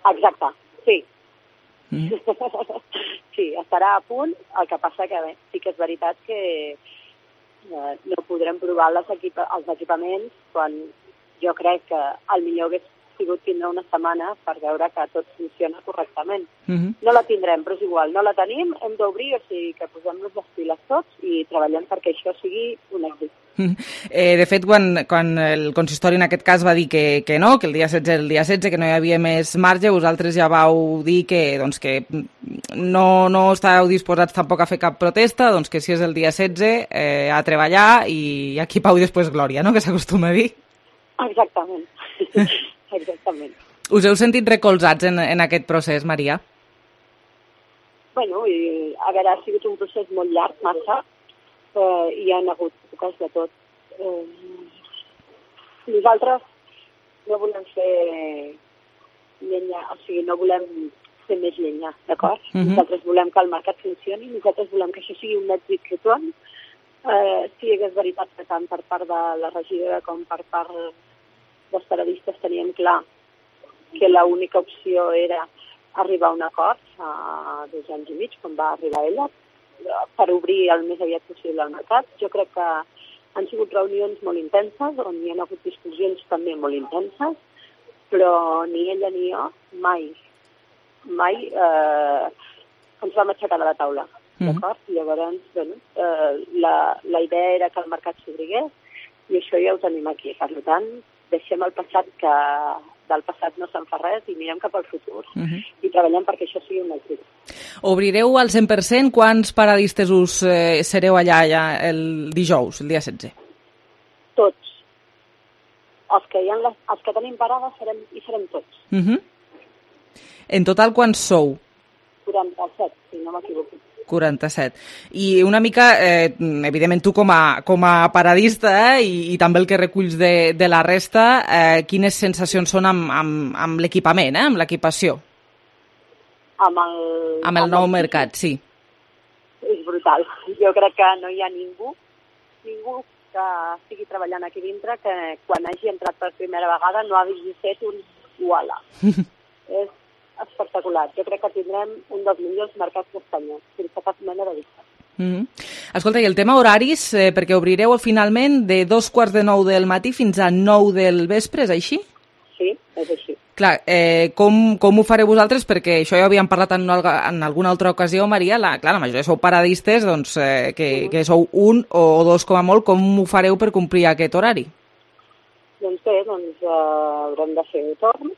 Exacte, sí. Sí, estarà a punt, el que passa que bé, sí que és veritat que no podrem provar els equipaments quan jo crec que el millor hagués sigut tindre una setmana per veure que tot funciona correctament. No la tindrem, però és igual, no la tenim, hem d'obrir, o sigui que posem-nos les piles tots i treballem perquè això sigui un èxit. De fet, quan el consistori en aquest cas va dir que no, que el dia 16 era el dia 16, que no hi havia més marge, vosaltres ja vau dir que no estàveu disposats tampoc a fer cap protesta, doncs que si és el dia 16 a treballar i aquí pau i després glòria, no?, que s'acostuma a dir. Exactament. Exactament. Us heu sentit recolzats en aquest procés, Maria? Bueno, a veure, ha sigut un procés molt llarg, massa, i hi ha hagut èpoques de tot. Nosaltres no volem fer llenya, o sigui, no volem fer més llenya, d'acord? Nosaltres volem que el mercat funcioni, nosaltres volem que això sigui un èxit tothom. Si és veritat que tant per part de la regidora com per part dels periodistes teníem clar que l'única opció era arribar a un acord fa 2 anys i mig, quan va arribar ella, per obrir el més aviat possible el mercat. Jo crec que han sigut reunions molt intenses, on hi ha hagut discussions també molt intenses, però ni ella ni jo mai ens vam aixecar de la taula. D'acord? Llavors, bueno, la idea era que el mercat s'obrigués i això ja ho tenim aquí. Per tant, deixem el passat, que del passat no se'n fa res, i mirem cap al futur i treballem perquè això sigui un èxit. Obrireu al 100%? Quants paradistes us sereu allà el dijous, el dia 16? Tots. Els que tenim parades serem tots. En total, quants sou? 47, si no m'equivoco. 47. I una mica, evidentment tu com a paradista i també el que reculls de la resta, quines sensacions són amb l'equipament, amb l'equipació? Amb el nou mercat, sí. És brutal. Jo crec que no hi ha ningú que estigui treballant aquí dintre que quan hagi entrat per primera vegada no hagi fet un uala. És espectacular. Jo crec que tindrem un dels millors mercats d'Espanya, sense cap mena de dubte. Escolta, i el tema horaris, perquè obrireu finalment de 8:45 del matí fins a 9 del vespre, és així? Sí, és així. Clar, com ho fareu vosaltres? Perquè això ja ho havíem parlat en alguna altra ocasió, Maria. La majoria sou paradistes, doncs, que sou un o dos com a molt. Com ho fareu per complir aquest horari? Doncs bé, haurem de fer torns.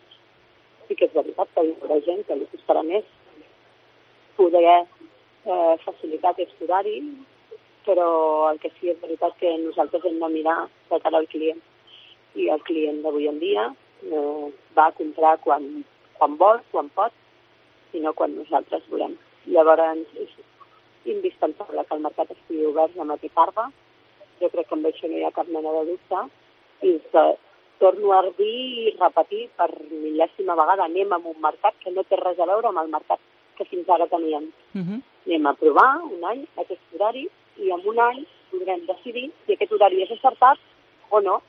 Sí que és veritat que hi haurà gent que li costarà més poder facilitar aquest horari, però el que sí és veritat que nosaltres hem de mirar de cara al client. I el client d'avui en dia va a comprar quan vol, quan pot, i no quan nosaltres volem. Llavors és indispensable que el mercat estigui obert de matí tarda. Jo crec que amb això no hi ha cap mena de dubte. I torno a dir i repetir per mil·lèsima vegada, anem a un mercat que no té res a veure amb el mercat que fins ara teníem. Anem a provar un any aquest horari i en un any podrem decidir si aquest horari és acertat o no,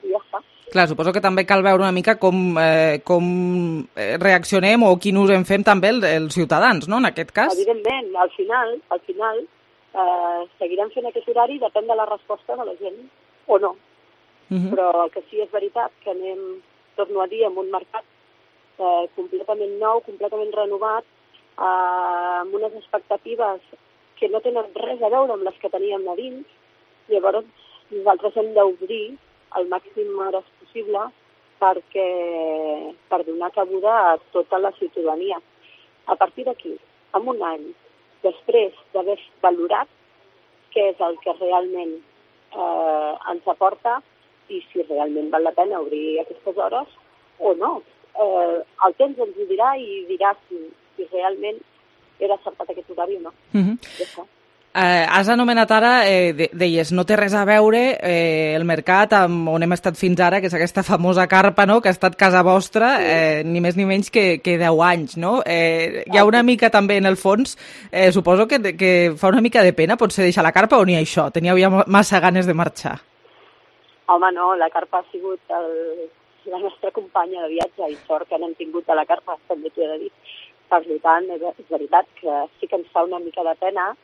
i ja està. Clar, suposo que també cal veure una mica com reaccionem o quin ús en fem també els ciutadans, no?, en aquest cas. Evidentment, al final seguirem fent aquest horari, depèn de la resposta de la gent o no. Però el que sí és veritat que anem, torno a dir, amb un mercat completament nou, completament renovat, amb unes expectatives que no tenen res a veure amb les que teníem a dins. Llavors nosaltres hem d'obrir el màxim hores possible per donar cabuda a tota la ciutadania. A partir d'aquí, en un any, després d'haver valorat què és el que realment ens aporta i si realment val la pena obrir aquestes hores o no. El temps ens ho dirà i dirà si realment era acertat aquest horari o no. Ja està. Has anomenat ara, deies, no té res a veure el mercat on hem estat fins ara, que és aquesta famosa carpa, no?, que ha estat casa vostra, ni més ni menys que 10 anys, no? Hi ha una mica també en el fons, suposo que fa una mica de pena potser deixar la carpa o ni això? Teníeu ja massa ganes de marxar? Home, no, la carpa ha sigut la nostra companya de viatge i sort que n'hem tingut a la carpa, també t'ho he de dir. Per tant, és veritat que sí que ens fa una mica de pena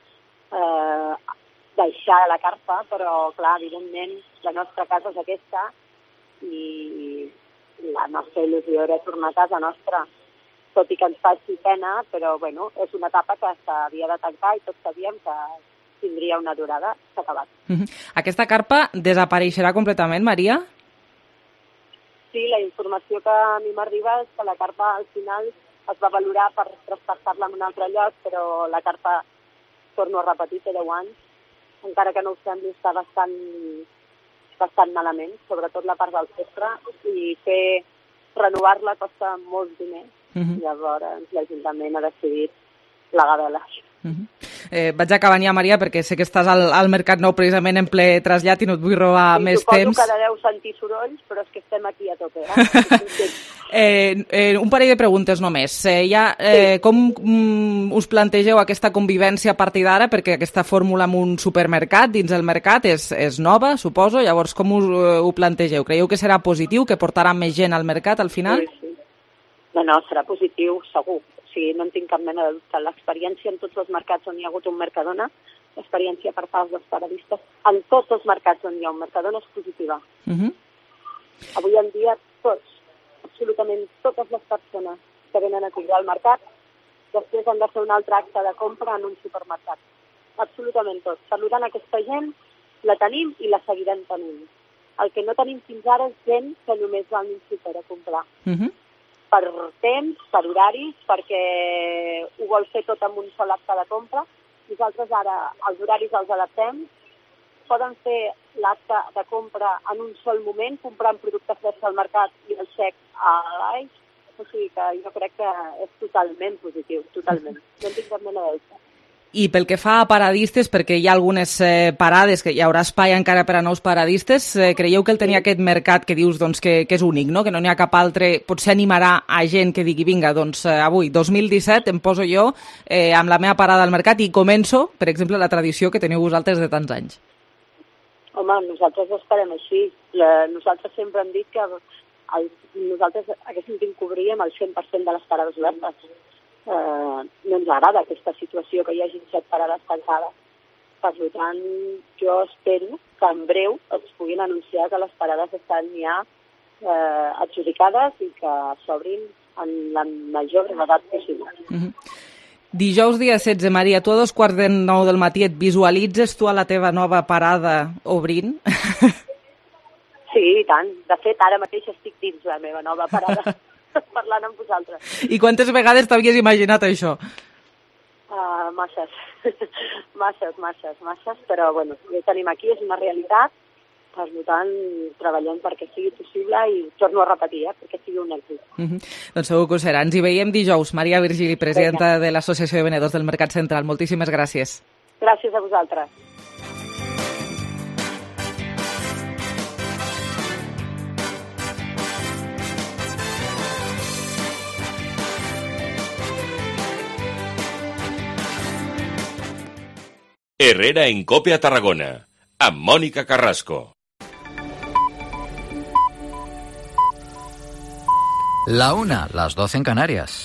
deixar la carpa, però, clar, evidentment, la nostra casa és aquesta i la nostra il·lusió era tornar a casa nostra, tot i que ens faci pena, però, bueno, és una etapa que s'havia de tancar i tots sabíem que tindria una durada. S'ha acabat. Aquesta carpa desapareixerà completament, Maria? Sí, la informació que a mi m'arriba és que la carpa al final es va valorar per traspassar-la en un altre lloc, però la carpa, torno a repetir, té 10 anys, encara que no ho sembli, està bastant malament, sobretot la part del sostre, i renovar-la costa molts diners. Llavors l'Ajuntament ha decidit plegar-la. Vaig acabant ja, Maria, perquè sé que estàs al Mercat Nou precisament en ple trasllat i no et vull robar més temps. Suposo que deveu sentir sorolls, però és que estem aquí a tope. Un parell de preguntes només. Com us plantegeu aquesta convivència a partir d'ara? Perquè aquesta fórmula amb un supermercat dins el mercat és nova, suposo. Llavors, com ho plantegeu? Creieu que serà positiu, que portarà més gent al mercat al final? Sí. No, serà positiu, segur. O sigui, no en tinc cap mena de dubte. L'experiència en tots els mercats on hi ha hagut un Mercadona, l'experiència per part dels paradistes, en tots els mercats on hi ha un Mercadona és positiva. Avui en dia tots, absolutament totes les persones que venen a comprar al mercat, després han de fer un altre acte de compra en un supermercat. Absolutament tots. Per tant, aquesta gent la tenim i la seguirem tenint. El que no tenim fins ara és gent que només va a un súper a comprar. Per temps, per horaris, perquè ho vol fer tot amb un sol acte de compra. Nosaltres ara els horaris els adaptem. Poden fer l'acte de compra en un sol moment, comprant productes freds al mercat i el xec a l'AIX. O sigui que jo crec que és totalment positiu, totalment. No en tinc cap mena de dubte. I pel que fa a paradistes, perquè hi ha algunes parades, que hi haurà espai encara per a nous paradistes, creieu que el tenir aquest mercat que dius que és únic, no? Que no n'hi ha cap altre, potser animarà a gent que digui, vinga, doncs avui, 2017, em poso jo amb la meva parada al mercat i començo, per exemple, la tradició que teniu vosaltres de tants anys? Home, nosaltres ho esperem així. Nosaltres sempre hem dit que nosaltres haguéssim de cobrir amb el 100% de les parades obertes. No ens agrada aquesta situació que hi hagi 7 parades tancades. Per tant, jo espero que en breu es puguin anunciar que les parades estan ja adjudicades i que s'obrin en la major brevetat possible. Dijous dia 16, Maria, tu a 8:45 del matí et visualitzes tu a la teva nova parada obrint? Sí, i tant. De fet, ara mateix estic dins la meva nova parada. Parlant amb vosaltres. I quantes vegades t'havies imaginat això? Masses. Masses, però bueno, ja tenim aquí, és una realitat, per tant, treballem perquè sigui possible i torno a repetir, perquè sigui un èxit. Doncs segur que ho serà. Ens hi veiem dijous. Maria Virgili, presidenta de l'Associació de Venedors del Mercat Central. Moltíssimes gràcies. Gràcies a vosaltres. Herrera en Cope a Tarragona, amb Mònica Carrasco. La 1, las 12 en Canarias.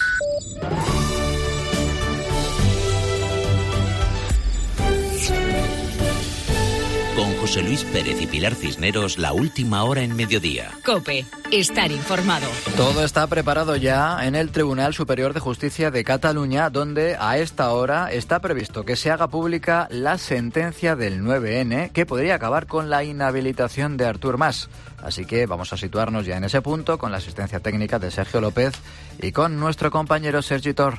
Con José Luis Pérez y Pilar Cisneros, la última hora en mediodía. COPE, estar informado. Todo está preparado ya en el Tribunal Superior de Justicia de Cataluña, donde a esta hora está previsto que se haga pública la sentencia del 9N, que podría acabar con la inhabilitación de Artur Mas. Así que vamos a situarnos ya en ese punto con la asistencia técnica de Sergio López y con nuestro compañero Sergi Tor.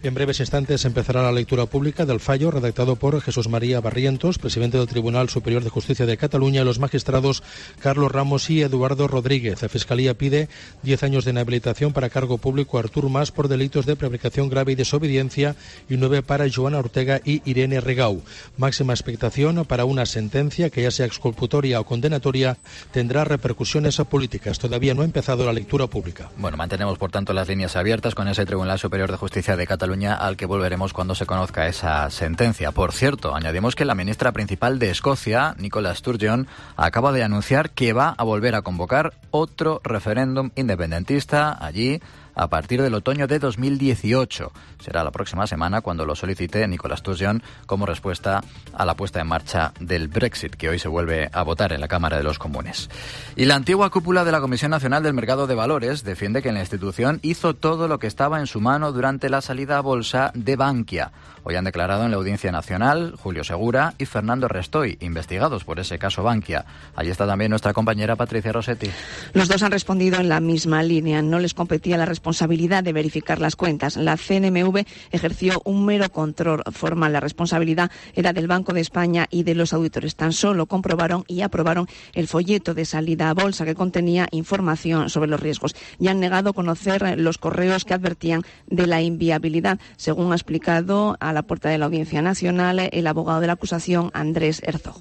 En breves instantes empezará la lectura pública del fallo redactado por Jesús María Barrientos, presidente del Tribunal Superior de Justicia de Cataluña, y los magistrados Carlos Ramos y Eduardo Rodríguez. La Fiscalía pide 10 años de inhabilitación para cargo público a Artur Mas por delitos de prevaricación grave y desobediencia y 9 para Joana Ortega y Irene Rigau. Máxima expectación para una sentencia que, ya sea exculpatoria o condenatoria, tendrá repercusiones políticas. Todavía no ha empezado la lectura pública. Bueno, mantenemos por tanto las líneas abiertas con ese Tribunal Superior de Justicia de Cataluña, al que volveremos cuando se conozca esa sentencia. Por cierto, añadimos que la ministra principal de Escocia, Nicola Sturgeon, acaba de anunciar que va a volver a convocar otro referéndum independentista allí a partir del otoño de 2018. Será la próxima semana cuando lo solicite Nicolas Sturgeon como respuesta a la puesta en marcha del Brexit, que hoy se vuelve a votar en la Cámara de los Comunes. Y la antigua cúpula de la Comisión Nacional del Mercado de Valores defiende que la institución hizo todo lo que estaba en su mano durante la salida a bolsa de Bankia. Hoy han declarado en la Audiencia Nacional Julio Segura y Fernando Restoy, investigados por ese caso Bankia. Allí está también nuestra compañera Patricia Rossetti. Los dos han respondido en la misma línea. No les competía la responsabilidad de verificar las cuentas. La CNMV ejerció un mero control formal. La responsabilidad era del Banco de España y de los auditores. Tan solo comprobaron y aprobaron el folleto de salida a bolsa que contenía información sobre los riesgos. Y han negado conocer los correos que advertían de la inviabilidad, según ha explicado a la puerta de la Audiencia Nacional el abogado de la acusación, Andrés Herzog.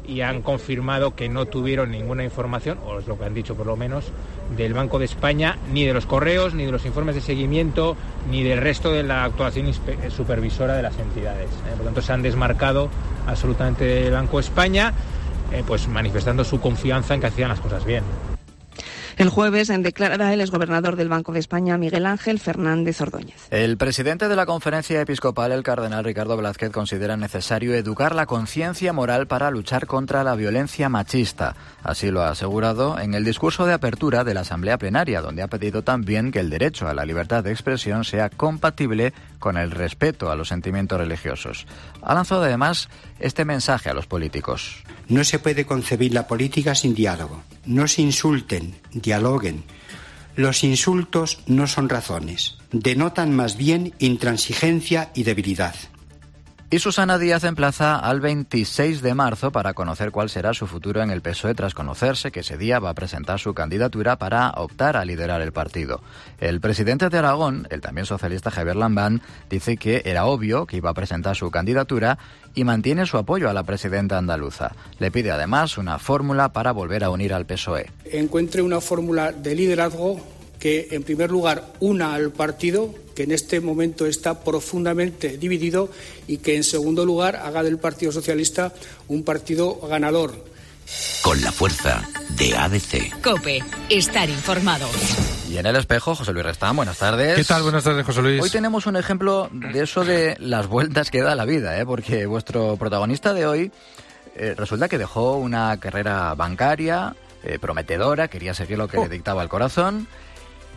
Y han confirmado que no tuvieron ninguna información, o es lo que han dicho por lo menos, del Banco de España, ni de los correos, ni de los informes de seguimiento, ni del resto de la actuación supervisora de las entidades. Por lo tanto, se han desmarcado absolutamente del Banco de España, pues manifestando su confianza en que hacían las cosas bien. El jueves declarará el exgobernador del Banco de España, Miguel Ángel Fernández Ordóñez. El presidente de la Conferencia Episcopal, el cardenal Ricardo Blázquez, considera necesario educar la conciencia moral para luchar contra la violencia machista. Así lo ha asegurado en el discurso de apertura de la Asamblea Plenaria, donde ha pedido también que el derecho a la libertad de expresión sea compatible con el respeto a los sentimientos religiosos. Ha lanzado además este mensaje a los políticos. No se puede concebir la política sin diálogo. No se insulten, dialoguen. Los insultos no son razones. Denotan más bien intransigencia y debilidad. Y Susana Díaz emplaza al 26 de marzo para conocer cuál será su futuro en el PSOE, tras conocerse que ese día va a presentar su candidatura para optar a liderar el partido. El presidente de Aragón, el también socialista Javier Lambán, dice que era obvio que iba a presentar su candidatura y mantiene su apoyo a la presidenta andaluza. Le pide además una fórmula para volver a unir al PSOE. Encuentre una fórmula de liderazgo que, en primer lugar, una al partido, que en este momento está profundamente dividido, y que, en segundo lugar, haga del Partido Socialista un partido ganador. Con la fuerza de ADC. COPE. Estar informado. Y en El Espejo, José Luis Restán, buenas tardes. ¿Qué tal? Buenas tardes, José Luis. Hoy tenemos un ejemplo de eso de las vueltas que da la vida, porque vuestro protagonista de hoy resulta que dejó una carrera bancaria prometedora, quería seguir lo que le dictaba el corazón,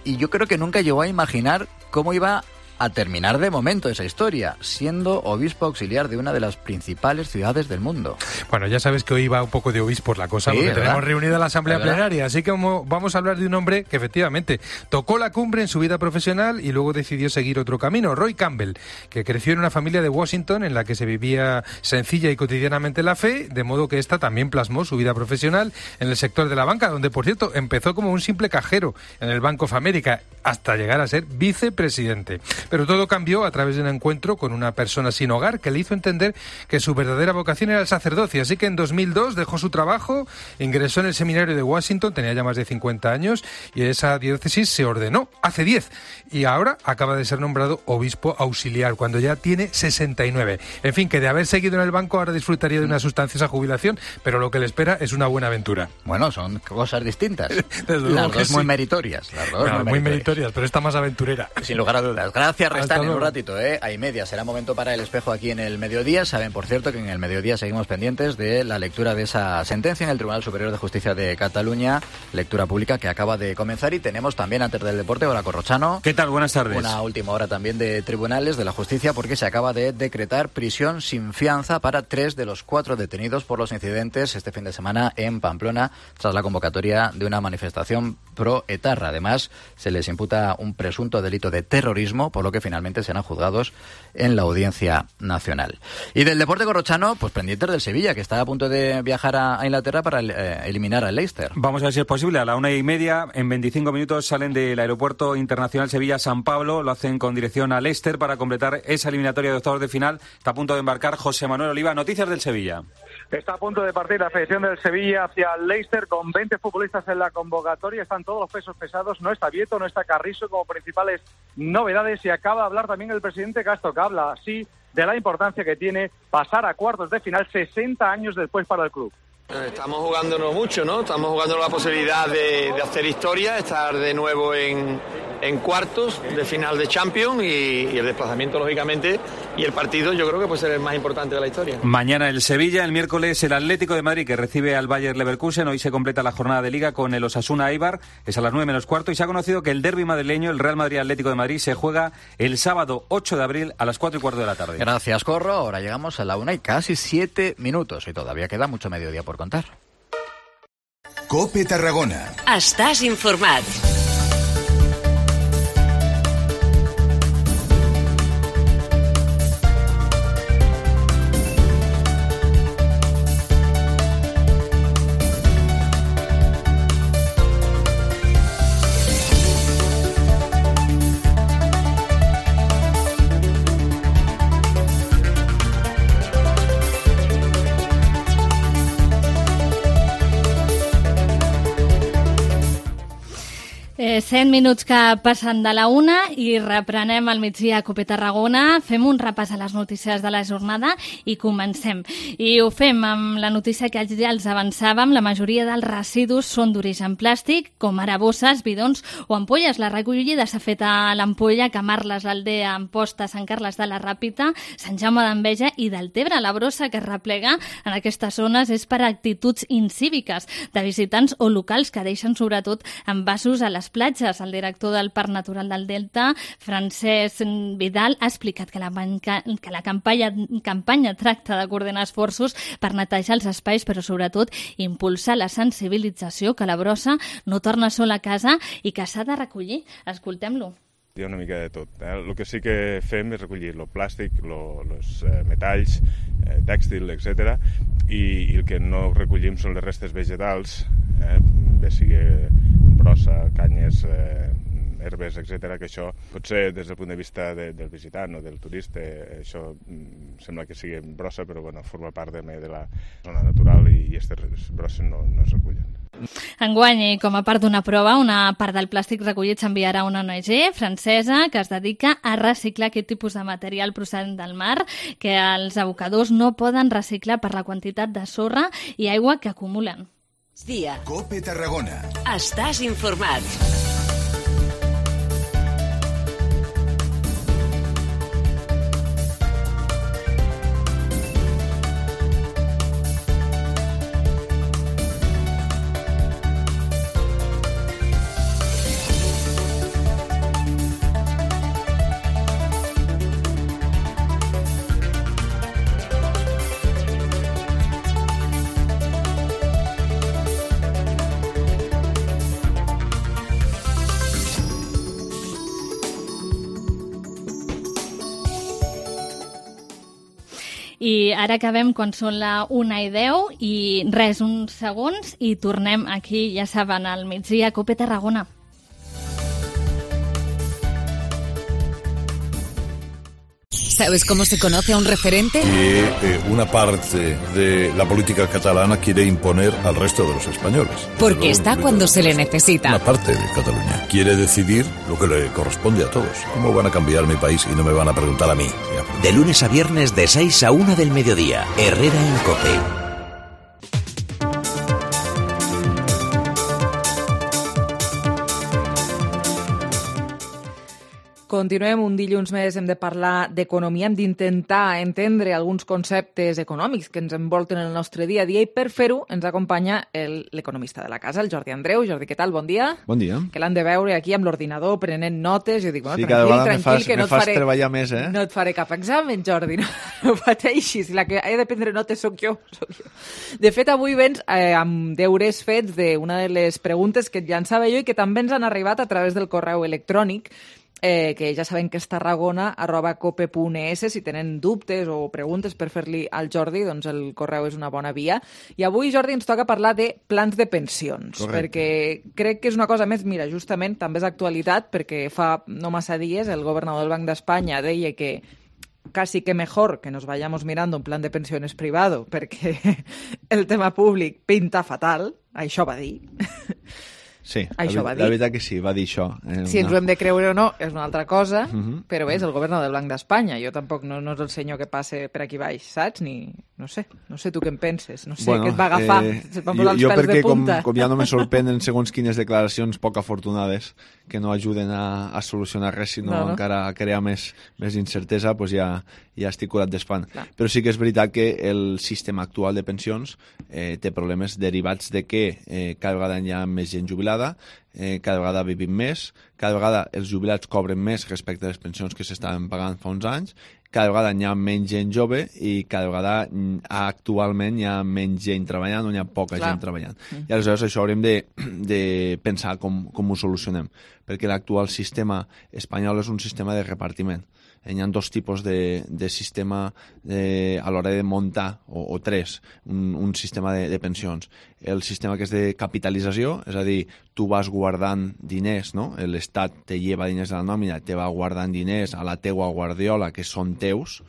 y yo creo que nunca llegó a imaginar cómo iba a terminar de momento esa historia, siendo obispo auxiliar de una de las principales ciudades del mundo. Bueno, ya sabes que hoy va un poco de obispos la cosa, sí, porque ¿verdad? Tenemos reunida la Asamblea Plenaria, así que vamos a hablar de un hombre que efectivamente tocó la cumbre en su vida profesional y luego decidió seguir otro camino. Roy Campbell, que creció en una familia de Washington en la que se vivía sencilla y cotidianamente la fe, de modo que esta también plasmó su vida profesional en el sector de la banca, donde, por cierto, empezó como un simple cajero en el Bank of America, hasta llegar a ser vicepresidente. Pero todo cambió a través de un encuentro con una persona sin hogar que le hizo entender que su verdadera vocación era el sacerdocio. Así que en 2002 dejó su trabajo, ingresó en el seminario de Washington, tenía ya más de 50 años, y esa diócesis se ordenó hace 10. Y ahora acaba de ser nombrado obispo auxiliar, cuando ya tiene 69. En fin, que de haber seguido en el banco ahora disfrutaría de una sustanciosa jubilación, pero lo que le espera es una buena aventura. Bueno, son cosas distintas. Las dos muy meritorias. Las dos muy meritorias, pero esta más aventurera. Sin lugar a dudas. Gracias, Restán, en un ratito, Hay media, será momento para El Espejo aquí en el mediodía. Saben, por cierto, que en el mediodía seguimos pendientes de la lectura de esa sentencia en el Tribunal Superior de Justicia de Cataluña, lectura pública que acaba de comenzar, y tenemos también, antes del deporte, hola Corrochano. ¿Qué tal? Buenas tardes. Una última hora también de tribunales de la justicia, porque se acaba de decretar prisión sin fianza para 3 de los 4 detenidos por los incidentes este fin de semana en Pamplona, tras la convocatoria de una manifestación pro etarra. Además, se les imputa un presunto delito de terrorismo, por lo que finalmente serán juzgados en la Audiencia Nacional. Y del deporte, Corrochano, pues pendientes del Sevilla, que está a punto de viajar a Inglaterra para eliminar al Leicester. Vamos a ver si es posible. A la 1:30, en 25 minutos, salen del Aeropuerto Internacional Sevilla-San Pablo, lo hacen con dirección a Leicester para completar esa eliminatoria de octavos de final. Está a punto de embarcar José Manuel Oliva. Noticias del Sevilla. Está a punto de partir la selección del Sevilla hacia el Leicester con 20 futbolistas en la convocatoria. Están todos los pesos pesados. No está Vieto, no está Carrizo como principales novedades. Y acaba de hablar también el presidente Castro, que habla así de la importancia que tiene pasar a cuartos de final 60 años después para el club. Estamos jugándonos mucho, ¿no? Estamos jugándonos la posibilidad de hacer historia, estar de nuevo en cuartos de final de Champions y el desplazamiento, lógicamente, y el partido yo creo que puede ser el más importante de la historia. Mañana el Sevilla, el miércoles el Atlético de Madrid, que recibe al Bayer Leverkusen. Hoy se completa la jornada de Liga con el Osasuna Eibar, es a las 9:15, y se ha conocido que el derbi madrileño, el Real Madrid-Atlético de Madrid, se juega el sábado 8 de abril a las 4:15 de la tarde. Gracias, Corro. Ahora llegamos a la 1 y casi 7 minutos y todavía queda mucho mediodía por contar. COPE Tarragona. Estàs informat. 7 minuts que passen de la 1 i reprenem al migdia a COPE Tarragona. Fem un repàs a les notícies de la jornada i comencem. I ho fem amb la notícia que ja els avançàvem. La majoria dels residus són d'origen plàstic, com ara bosses, bidons o ampolles. La recollida s'ha fet a l'Ampolla, Camarles, l'Aldea, Amposta, Sant Carles de la Ràpita, Sant Jaume d'Enveja i Deltebre. La brossa que es replega en aquestes zones és per actituds incíviques de visitants o locals que deixen sobretot envasos a les platges. El director del Parc Natural del Delta, Francesc Vidal, ha explicat que la campanya tracta de coordinar esforços per netejar els espais, però sobretot impulsar la sensibilització que la brossa no torna sola a casa i que s'ha de recollir. Escoltem-lo. Hi ha una mica de tot. El que sí que fem és recollir el plàstic, els metalls, tèxtil, etc. I el que no recollim són les restes vegetals, bé sigui brossa, canyes, herbes, etc. Que això potser des del punt de vista del visitant o del turista això sembla que sigui brossa, però bueno, forma part de la zona natural i aquestes brosses no es recullen. Enguany, com a part d'una prova, una part del plàstic recollit s'enviarà a una ONG francesa que es dedica a reciclar aquest tipus de material procedent del mar que els abocadors no poden reciclar per la quantitat de sorra i aigua que acumulen. COPE Tarragona. Estàs informat. I ara acabem quan són la 1:10 i res, uns segons i tornem aquí, ja saben, al migdia a COPE Tarragona. ¿Sabes cómo se conoce a un referente? Que una parte de la política catalana quiere imponer al resto de los españoles. Porque está cuando se le necesita. Una parte de Cataluña quiere decidir lo que le corresponde a todos. ¿Cómo van a cambiar mi país y no me van a preguntar a mí? De lunes a viernes de 6 a 1 del mediodía. Herrera en COPE. Continuem, un dilluns més hem de parlar d'economia, hem d'intentar entendre alguns conceptes econòmics que ens envolten el nostre dia a dia i per fer-ho ens acompanya l'economista de la casa, el Jordi Andreu. Jordi, què tal? Bon dia. Bon dia. Que l'han de veure aquí amb l'ordinador prenent notes. Jo dic, bueno, sí, tranquil, que no et fas treballar més, eh? No et faré cap examen, Jordi, no pateixis. La que he de prendre notes sóc jo. De fet, avui vens amb deures fets d'una de les preguntes que et llançava jo i que també ens han arribat a través del correu electrònic, que ja saben que és tarragona@cope.es. Si tenen dubtes o preguntes per fer-li al Jordi, doncs el correu és una bona via. I avui, Jordi, ens toca parlar de plans de pensions. Correcte. Perquè crec que és una cosa més, mira, justament també és actualitat, perquè fa no massa dies el governador del Banc d'Espanya deia que casi que mejor que nos vayamos mirando un plan de pensiones privado perquè el tema públic pinta fatal, això va dir. Sí, Això va dir. La veritat que sí, va dir això. Si ens ho hem de creure o no és una altra cosa, però bé, és el govern del Banc d'Espanya. Jo tampoc no és el senyor que passe per aquí baix, saps? No sé tu què en penses. No sé què et va agafar. Es va posar els pèls de punta. Com ja no me sorprenen segons quines declaracions poc afortunades que no ajuden a solucionar res, sinó encara a crear més incertesa, doncs ja estic curat d'espant. Però sí que és veritat que el sistema actual de pensions té problemes derivats de que cada vegada hi ha més gent jubilada, cada vegada vivim més, cada vegada els jubilats cobren més respecte a les pensions que s'estaven pagant fa uns anys, cada vegada hi ha menys gent jove i cada vegada actualment hi ha menys gent treballant o hi ha poca gent treballant. I aleshores això haurem de pensar com ho solucionem, perquè l'actual sistema espanyol és un sistema de repartiment. Hi ha dos tipus de sistema a l'hora de muntar, o tres, un sistema de pensions. El sistema que és de capitalització, és a dir, tu vas guardant diners, no? L'Estat te lleva diners de la nòmina, te va guardant diners a la teua guardiola, que són teus.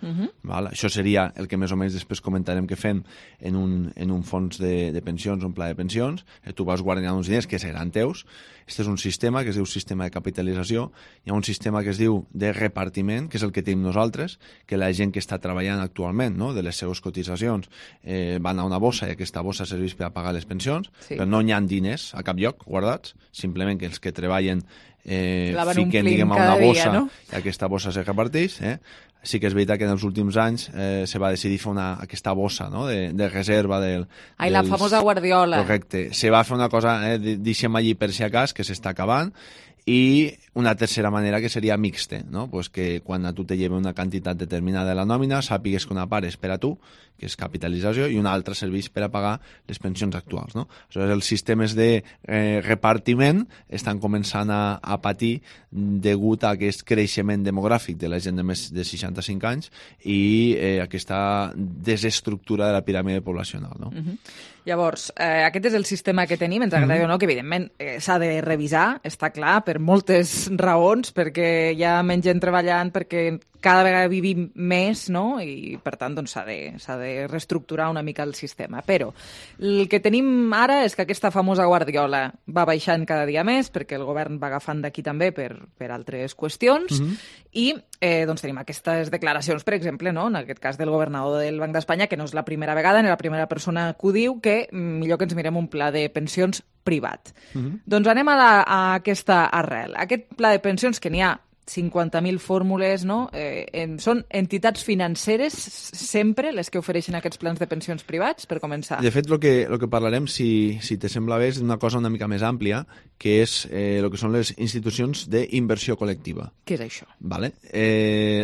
Val? Això seria el que més o menys després comentarem que fem en un fons de pensions, un pla de pensions. Tu vas guardant uns diners que seran teus. Este és un sistema que es diu sistema de capitalització. Hi ha un sistema que es diu de repartiment, que és el que tenim nosaltres, que la gent que està treballant actualment, no? De les seves cotitzacions, van a una bossa i aquesta bossa serveix per a pagar les pensions, però no hi ha diners a cap lloc guardats, simplement que els que treballen fiquen, diguem, a una bossa i aquesta bossa se reparteix. Sí que és veritat que en els últims anys se va decidir fer aquesta bossa, no? de reserva la famosa guardiola. Correcte. Se va fer una cosa, deixem allí per si acas, que s'està acabant, i una tercera manera que seria mixta, no? Pues que quan a tu te lleve una quantitat determinada de la nòmina, sàpigues que una part és per a tu, que és capitalització, i una altra serveix per a pagar les pensions actuals, no? Aleshores, els sistemes de repartiment estan començant a patir degut a aquest creixement demogràfic de la gent de més de 65 anys i aquesta desestructura de la piràmide poblacional, no? Llavors, aquest és el sistema que tenim, ens agrada o no, que evidentment s'ha de revisar, està clar, per moltes raons, perquè hi ha menys gent treballant, perquè cada vegada vivim més, no? I per tant doncs, s'ha de reestructurar una mica el sistema. Però el que tenim ara és que aquesta famosa guardiola va baixant cada dia més, perquè el govern va agafant d'aquí també per altres qüestions, i doncs tenim aquestes declaracions, per exemple, no? En aquest cas del governador del Banc d'Espanya, que no és la primera vegada, ni la primera persona que ho diu, que millor que ens mirem un pla de pensions privat. Doncs anem a aquesta arrel. Aquest pla de pensions, que n'hi ha 50.000 fórmules, no? Són entitats financeres sempre les que ofereixen aquests plans de pensions privats, per començar? De fet, el que parlarem, si te sembla bé, és d'una cosa una mica més àmplia, que és el que són les institucions d'inversió col·lectiva. Què és això? Vale.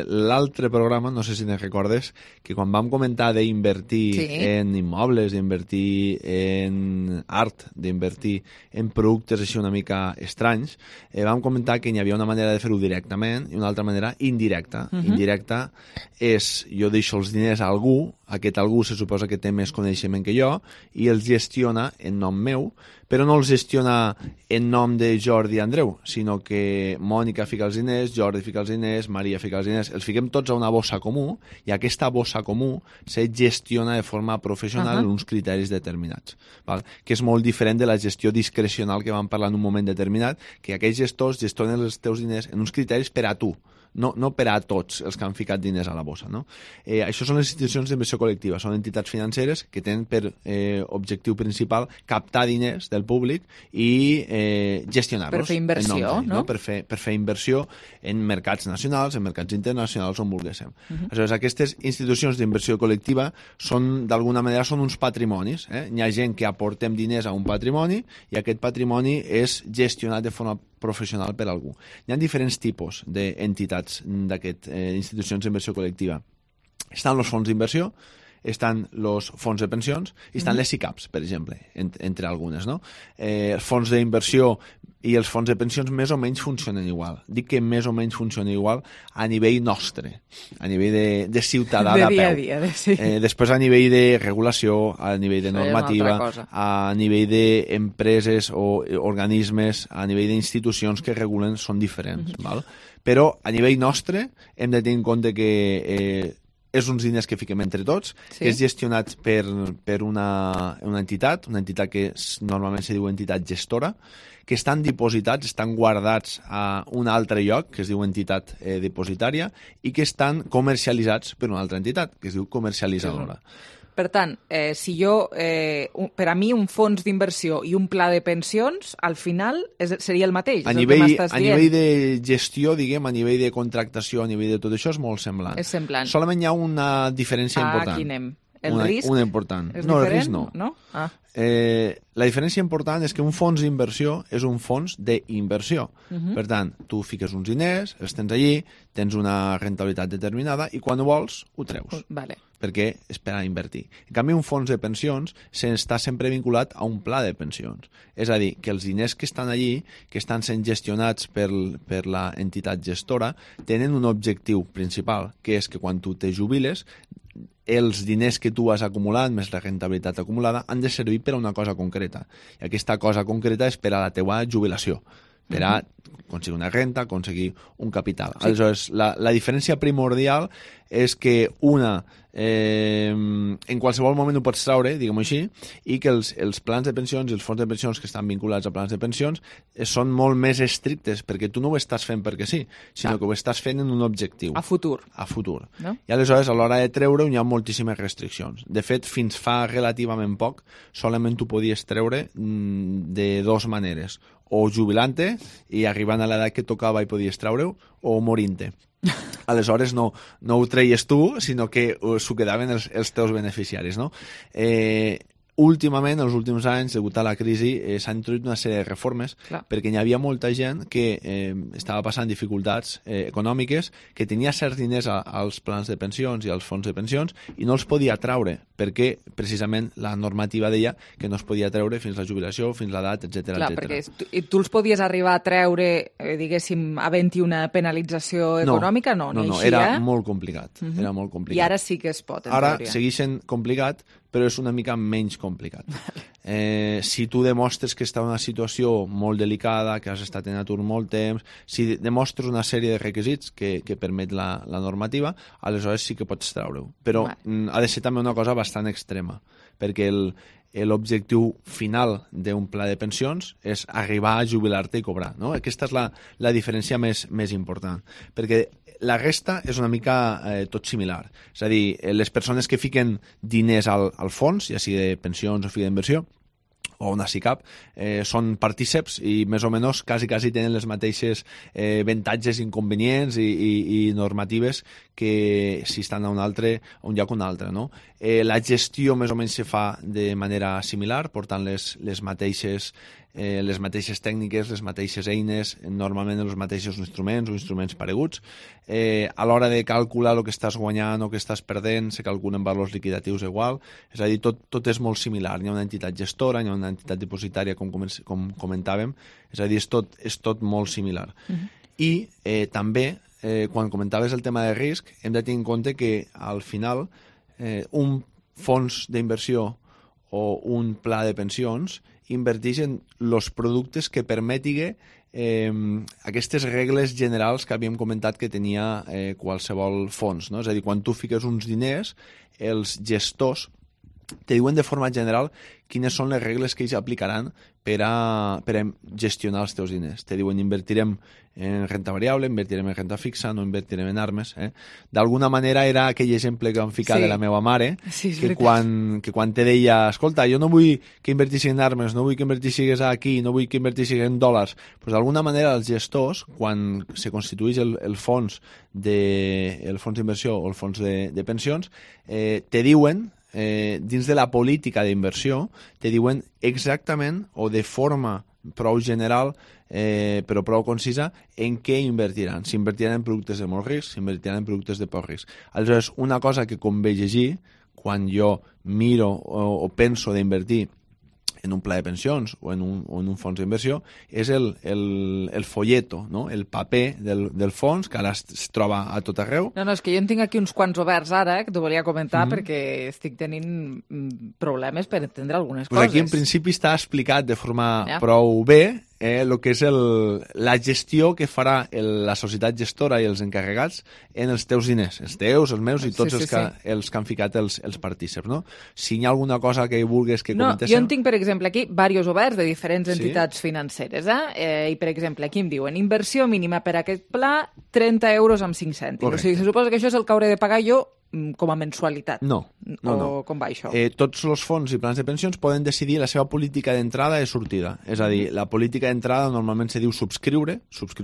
L'altre programa, no sé si te'n recordes, que quan vam comentar d'invertir en immobles, d'invertir en art, d'invertir en productes així una mica estranys, vam comentar que hi havia una manera de fer-ho directament i una altra manera indirecta. Indirecta és, jo deixo els diners a algú, aquest algú se suposa que té més coneixement que jo i els gestiona en nom meu, però no els gestiona en nom de Jordi i Andreu, sinó que Mònica fica els diners, Jordi fica els diners, Maria fica els diners, els fiquem tots a una bossa comú i aquesta bossa comú se gestiona de forma professional en uns criteris determinats, val? Que és molt diferent de la gestió discrecional que vam parlar en un moment determinat, que aquells gestors gestionen els teus diners en uns criteris per a tu, no per a tots els que han ficat diners a la bossa, no? Això són les institucions d'inversió col·lectiva, són entitats financeres que tenen per objectiu principal captar diners del públic i gestionar-los. Per fer inversió, no? Per fer inversió en mercats nacionals, en mercats internacionals, on volguéssim. Aleshores, aquestes institucions d'inversió col·lectiva són, d'alguna manera, són uns patrimonis. Hi ha gent que aportem diners a un patrimoni i aquest patrimoni és gestionat de forma professional per algú. Hi ha diferents tipus d'entitats d'aquestes institucions d'inversió col·lectiva. Estan els fons d'inversió, estan els fons de pensions i estan les SICAPs, per exemple, entre algunes, no? Els fons d'inversió i els fons de pensions més o menys funcionen igual. Dic que més o menys funcionen igual a nivell nostre, a nivell de ciutadà de peu. Dia a dia, sí. Després a nivell de regulació, a nivell de normativa, a nivell d'empreses o organismes, a nivell d'institucions que regulen són diferents. Val? Però a nivell nostre hem de tenir en compte que és uns diners que fiquem entre tots, que és gestionat per una entitat que normalment se diu entitat gestora, que estan dipositats, estan guardats a un altre lloc, que es diu entitat depositària, i que estan comercialitzats per una altra entitat, que es diu comercialitzadora. Per tant, si jo, per a mi, un fons d'inversió i un pla de pensions, al final seria el mateix. A nivell de gestió, diguem, a nivell de contractació, a nivell de tot això, és molt semblant. És semblant. Solament hi ha una diferència important. Aquí anem. El risc? Una important. És no, diferent? El risc no. La diferència important és que un fons d'inversió és un fons d'inversió. Per tant, tu fiques uns diners, els tens allí, tens una rentabilitat determinada i quan ho vols, ho treus. Vale. Perquè és per a invertir. En canvi, un fons de pensions està sempre vinculat a un pla de pensions. És a dir, que els diners que estan allí, que estan sent gestionats per la entitat gestora, tenen un objectiu principal, que és que quan tu te jubiles, els diners que tu has acumulat, més la rentabilitat acumulada, han de servir per a una cosa concreta. I aquesta cosa concreta és per a la teua jubilació, per a aconseguir una renta, aconseguir un capital. Sí. Aleshores, la diferència primordial és que una en qualsevol moment ho pots traure, diguem-ho així, i que els plans de pensions i els fons de pensions que estan vinculats a plans de pensions són molt més estrictes, perquè tu no ho estàs fent perquè sí, sinó que ho estàs fent en un objectiu. A futur. A futur. No? I aleshores, a l'hora de treure hi ha moltíssimes restriccions. De fet, fins fa relativament poc, solament tu podies treure de dues maneres. O jubilant-te i arribant a l'edat que tocava i podies treure-ho, o morint-te. Aleshores no ho treies tu, sinó que s'ho quedaven els teus beneficiaris, no? Últimament, els últims anys, degut a la crisi, s'han introduït una sèrie de reformes perquè hi havia molta gent que estava passant dificultats econòmiques, que tenia certs diners als plans de pensions i als fons de pensions i no els podia treure perquè precisament la normativa deia que no es podia treure fins la jubilació, fins l'edat, etc. Clar, perquè tu els podies arribar a treure, diguéssim, havent-hi una penalització econòmica? No, era molt complicat. Era molt complicat. I ara sí que es pot, en teoria. Ara segueix sent complicat, però és una mica menys complicat. Si tu demostres que està en una situació molt delicada, que has estat en atur molt temps, si demostres una sèrie de requisits que permet la normativa, aleshores sí que pots treure-ho. Però ha de ser també una cosa bastant extrema, perquè l'objectiu final d'un pla de pensions és arribar a jubilar-te i cobrar, no? Aquesta és la diferència més important, perquè la resta és una mica tot similar. És a dir, les persones que fiquen diners al fons, ja sigui de pensions o fi d'inversió, o una SICAP, són partíceps i més o menys quasi tenen les mateixes avantatges, inconvenients i normatives que si estan a un lloc o un altre, no? La gestió més o menys se fa de manera similar, portant les mateixes tècniques, les mateixes eines, normalment els mateixos instruments o instruments pareguts. A l'hora de calcular el que estàs guanyant o que estàs perdent, se calculen valors liquidatius igual. És a dir, tot és molt similar. Hi ha una entitat gestora, hi ha una entitat depositària, com comentàvem. És a dir, és tot molt similar. I també, quan comentaves el tema de risc, hem de tenir en compte que al final un fons d'inversió o un pla de pensions inverteix en els productes que permetin aquestes regles generals que havíem comentat que tenia qualsevol fons, no? És a dir, quan tu fiques uns diners, els gestors te diuen de forma general quines són les regles que ells aplicaran per a gestionar els teus diners. Te diuen invertirem en renta variable, invertirem en renta fixa, no invertirem en armes. D'alguna manera era aquell exemple que vam ficar de la meva mare, que quan te deia, escolta, jo no vull que invertissis en armes, no vull que invertissis aquí, no vull que invertissis en dòlars, doncs d'alguna manera els gestors, quan se constitueix el fons d'inversió o el fons de pensions, te diuen, dins de la política d'inversió, te diuen exactament o de forma prou general però prou concisa en què invertiran. Si invertiran en productes de molt risc, si invertiran en productes de poc risc. Aleshores, una cosa que convé llegir quan jo miro o penso d'invertir en un pla de pensions o en un fons d'inversió és el folleto, no? El paper del fons, que ara es troba a tot arreu. No, és que jo en tinc aquí uns quants oberts ara, que t'ho volia comentar perquè estic tenint problemes per entendre algunes coses. Aquí en principi està explicat de forma prou bé el que és la gestió que farà la societat gestora i els encarregats en els teus diners, els teus, els meus i tots els que han ficat els partíceps, no? Si hi ha alguna cosa que vulguis que comentéssim... Jo en tinc, per exemple, aquí diversos oberts de diferents entitats financeres, i, per exemple, aquí em diuen inversió mínima per a aquest pla, 30 euros amb 5 cèntims. O sigui, se suposa que això és el que hauré de pagar jo com a mensualitat. No. O com va això? Tots els fons i plans de pensions poden decidir la seva política d'entrada i sortida. És a dir, la política d'entrada normalment se diu subscriure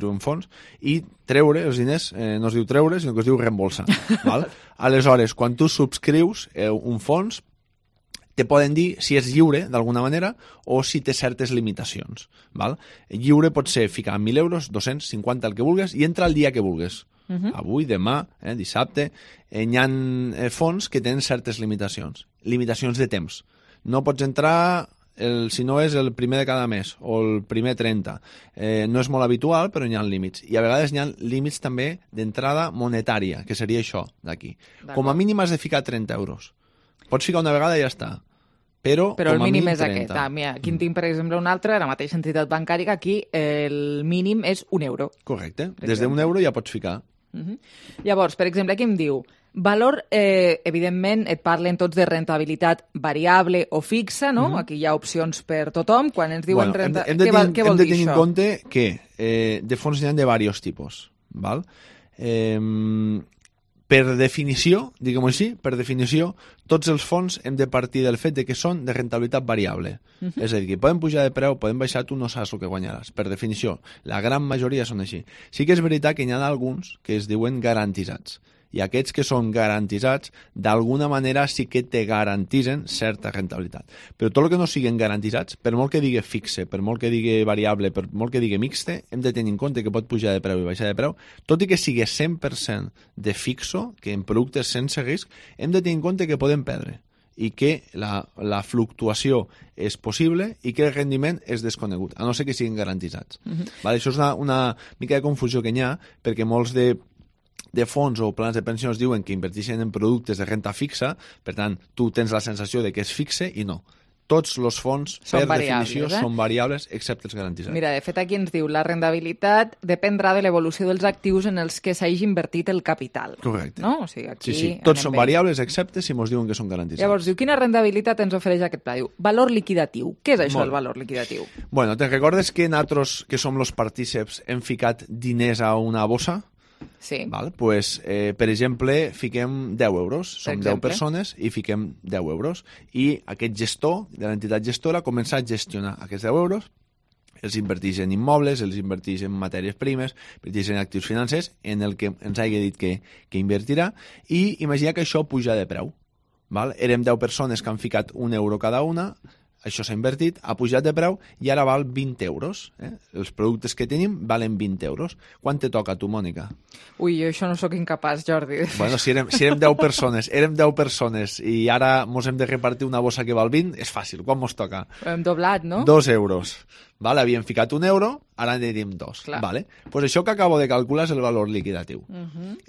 un fons, i treure els diners no es diu treure, sinó que es diu reembolsar. Val? Aleshores, quan tu subscrius un fons, te poden dir si és lliure, d'alguna manera, o si té certes limitacions. Val? Lliure pot ser ficar 1.000 euros, 250, el que vulguis, i entra el dia que vulguis. Avui, demà, dissabte, hi ha fons que tenen certes limitacions de temps. No pots entrar si no és el primer de cada mes o el primer 30. No és molt habitual, però hi ha límits. I a vegades hi ha límits també d'entrada monetària, que seria això d'aquí. Com a mínim has de ficar 30 euros. Pots ficar una vegada i ja està. Però el mínim és aquest. Mira, aquí en tinc, per exemple, un altre, la mateixa entitat bancària, aquí el mínim és 1 euro. Correcte. Des d'1 euro ja pots ficar. Llavors, per exemple, aquí em diu valor, evidentment, et parlen tots de rentabilitat variable o fixa, no? Aquí hi ha opcions per tothom. Quan ens diuen renta... Què vol dir això? Hem de tenir en compte que de fons n'hi ha de diversos tipus. Val? Per definició, diguem-ho així, tots els fons hem de partir del fet de que són de rentabilitat variable. És a dir, que poden pujar de preu, poden baixar, tu no saps el que guanyaràs. Per definició, la gran majoria són així. Sí que és veritat que n'hi ha alguns que es diuen garantitzats. I aquests que són garantitzats, d'alguna manera sí que te garantitzen certa rentabilitat. Però tot el que no siguin garantitzats, per molt que digui fixe, per molt que digui variable, per molt que digui mixte, hem de tenir en compte que pot pujar de preu i baixar de preu, tot i que sigui 100% de fixo, que en productes sense risc, hem de tenir en compte que podem perdre i que la fluctuació és possible i que el rendiment és desconegut, a no ser que siguin garantitzats. Vale? Això és una mica de confusió que hi ha, perquè molts de fons o plans de pensions diuen que inverteixen en productes de renta fixa, per tant, tu tens la sensació de que és fixe i no. Tots els fons, per definició, són variables, excepte els garantitzats. Mira, de fet, aquí ens diu la rendibilitat dependrà de l'evolució dels actius en els que s'hagi invertit el capital. Correcte. No? O sigui, aquí sí. Tots són variables, excepte si ens diuen que són garantitzats. Llavors, diu, quina rendibilitat ens ofereix aquest pla? Diu, valor liquidatiu. Què és això, el valor liquidatiu? Bueno, te'n recordes que nosaltres, que som els partíceps, hem ficat diners a una bossa? Sí. Val? Pues, per exemple, fiquem 10 euros. Som 10 persones i fiquem 10 euros. I aquest gestor de l'entitat gestora comença a gestionar aquests 10 euros, els inverteix en immobles, els inverteix en matèries primes, inverteix en actius financers, en el que ens hagi dit que invertirà, i imagina que això puja de preu. Val? Érem 10 persones que han ficat 1 euro cada una, això s'ha invertit, ha pujat de preu i ara val 20 euros. Els productes que tenim valen 20 euros. Quan te toca a tu, Mònica? Ui, jo això no sóc incapaç, Jordi. Bueno, si érem 10 persones i ara mos hem de repartir una bossa que val 20, és fàcil. Quan mos toca? Hem doblat, no? 2 euros. Vale, havíem ficat 1 euro, ara en tenim 2. Vale? Pues això que acabo de calcular és el valor liquidatiu.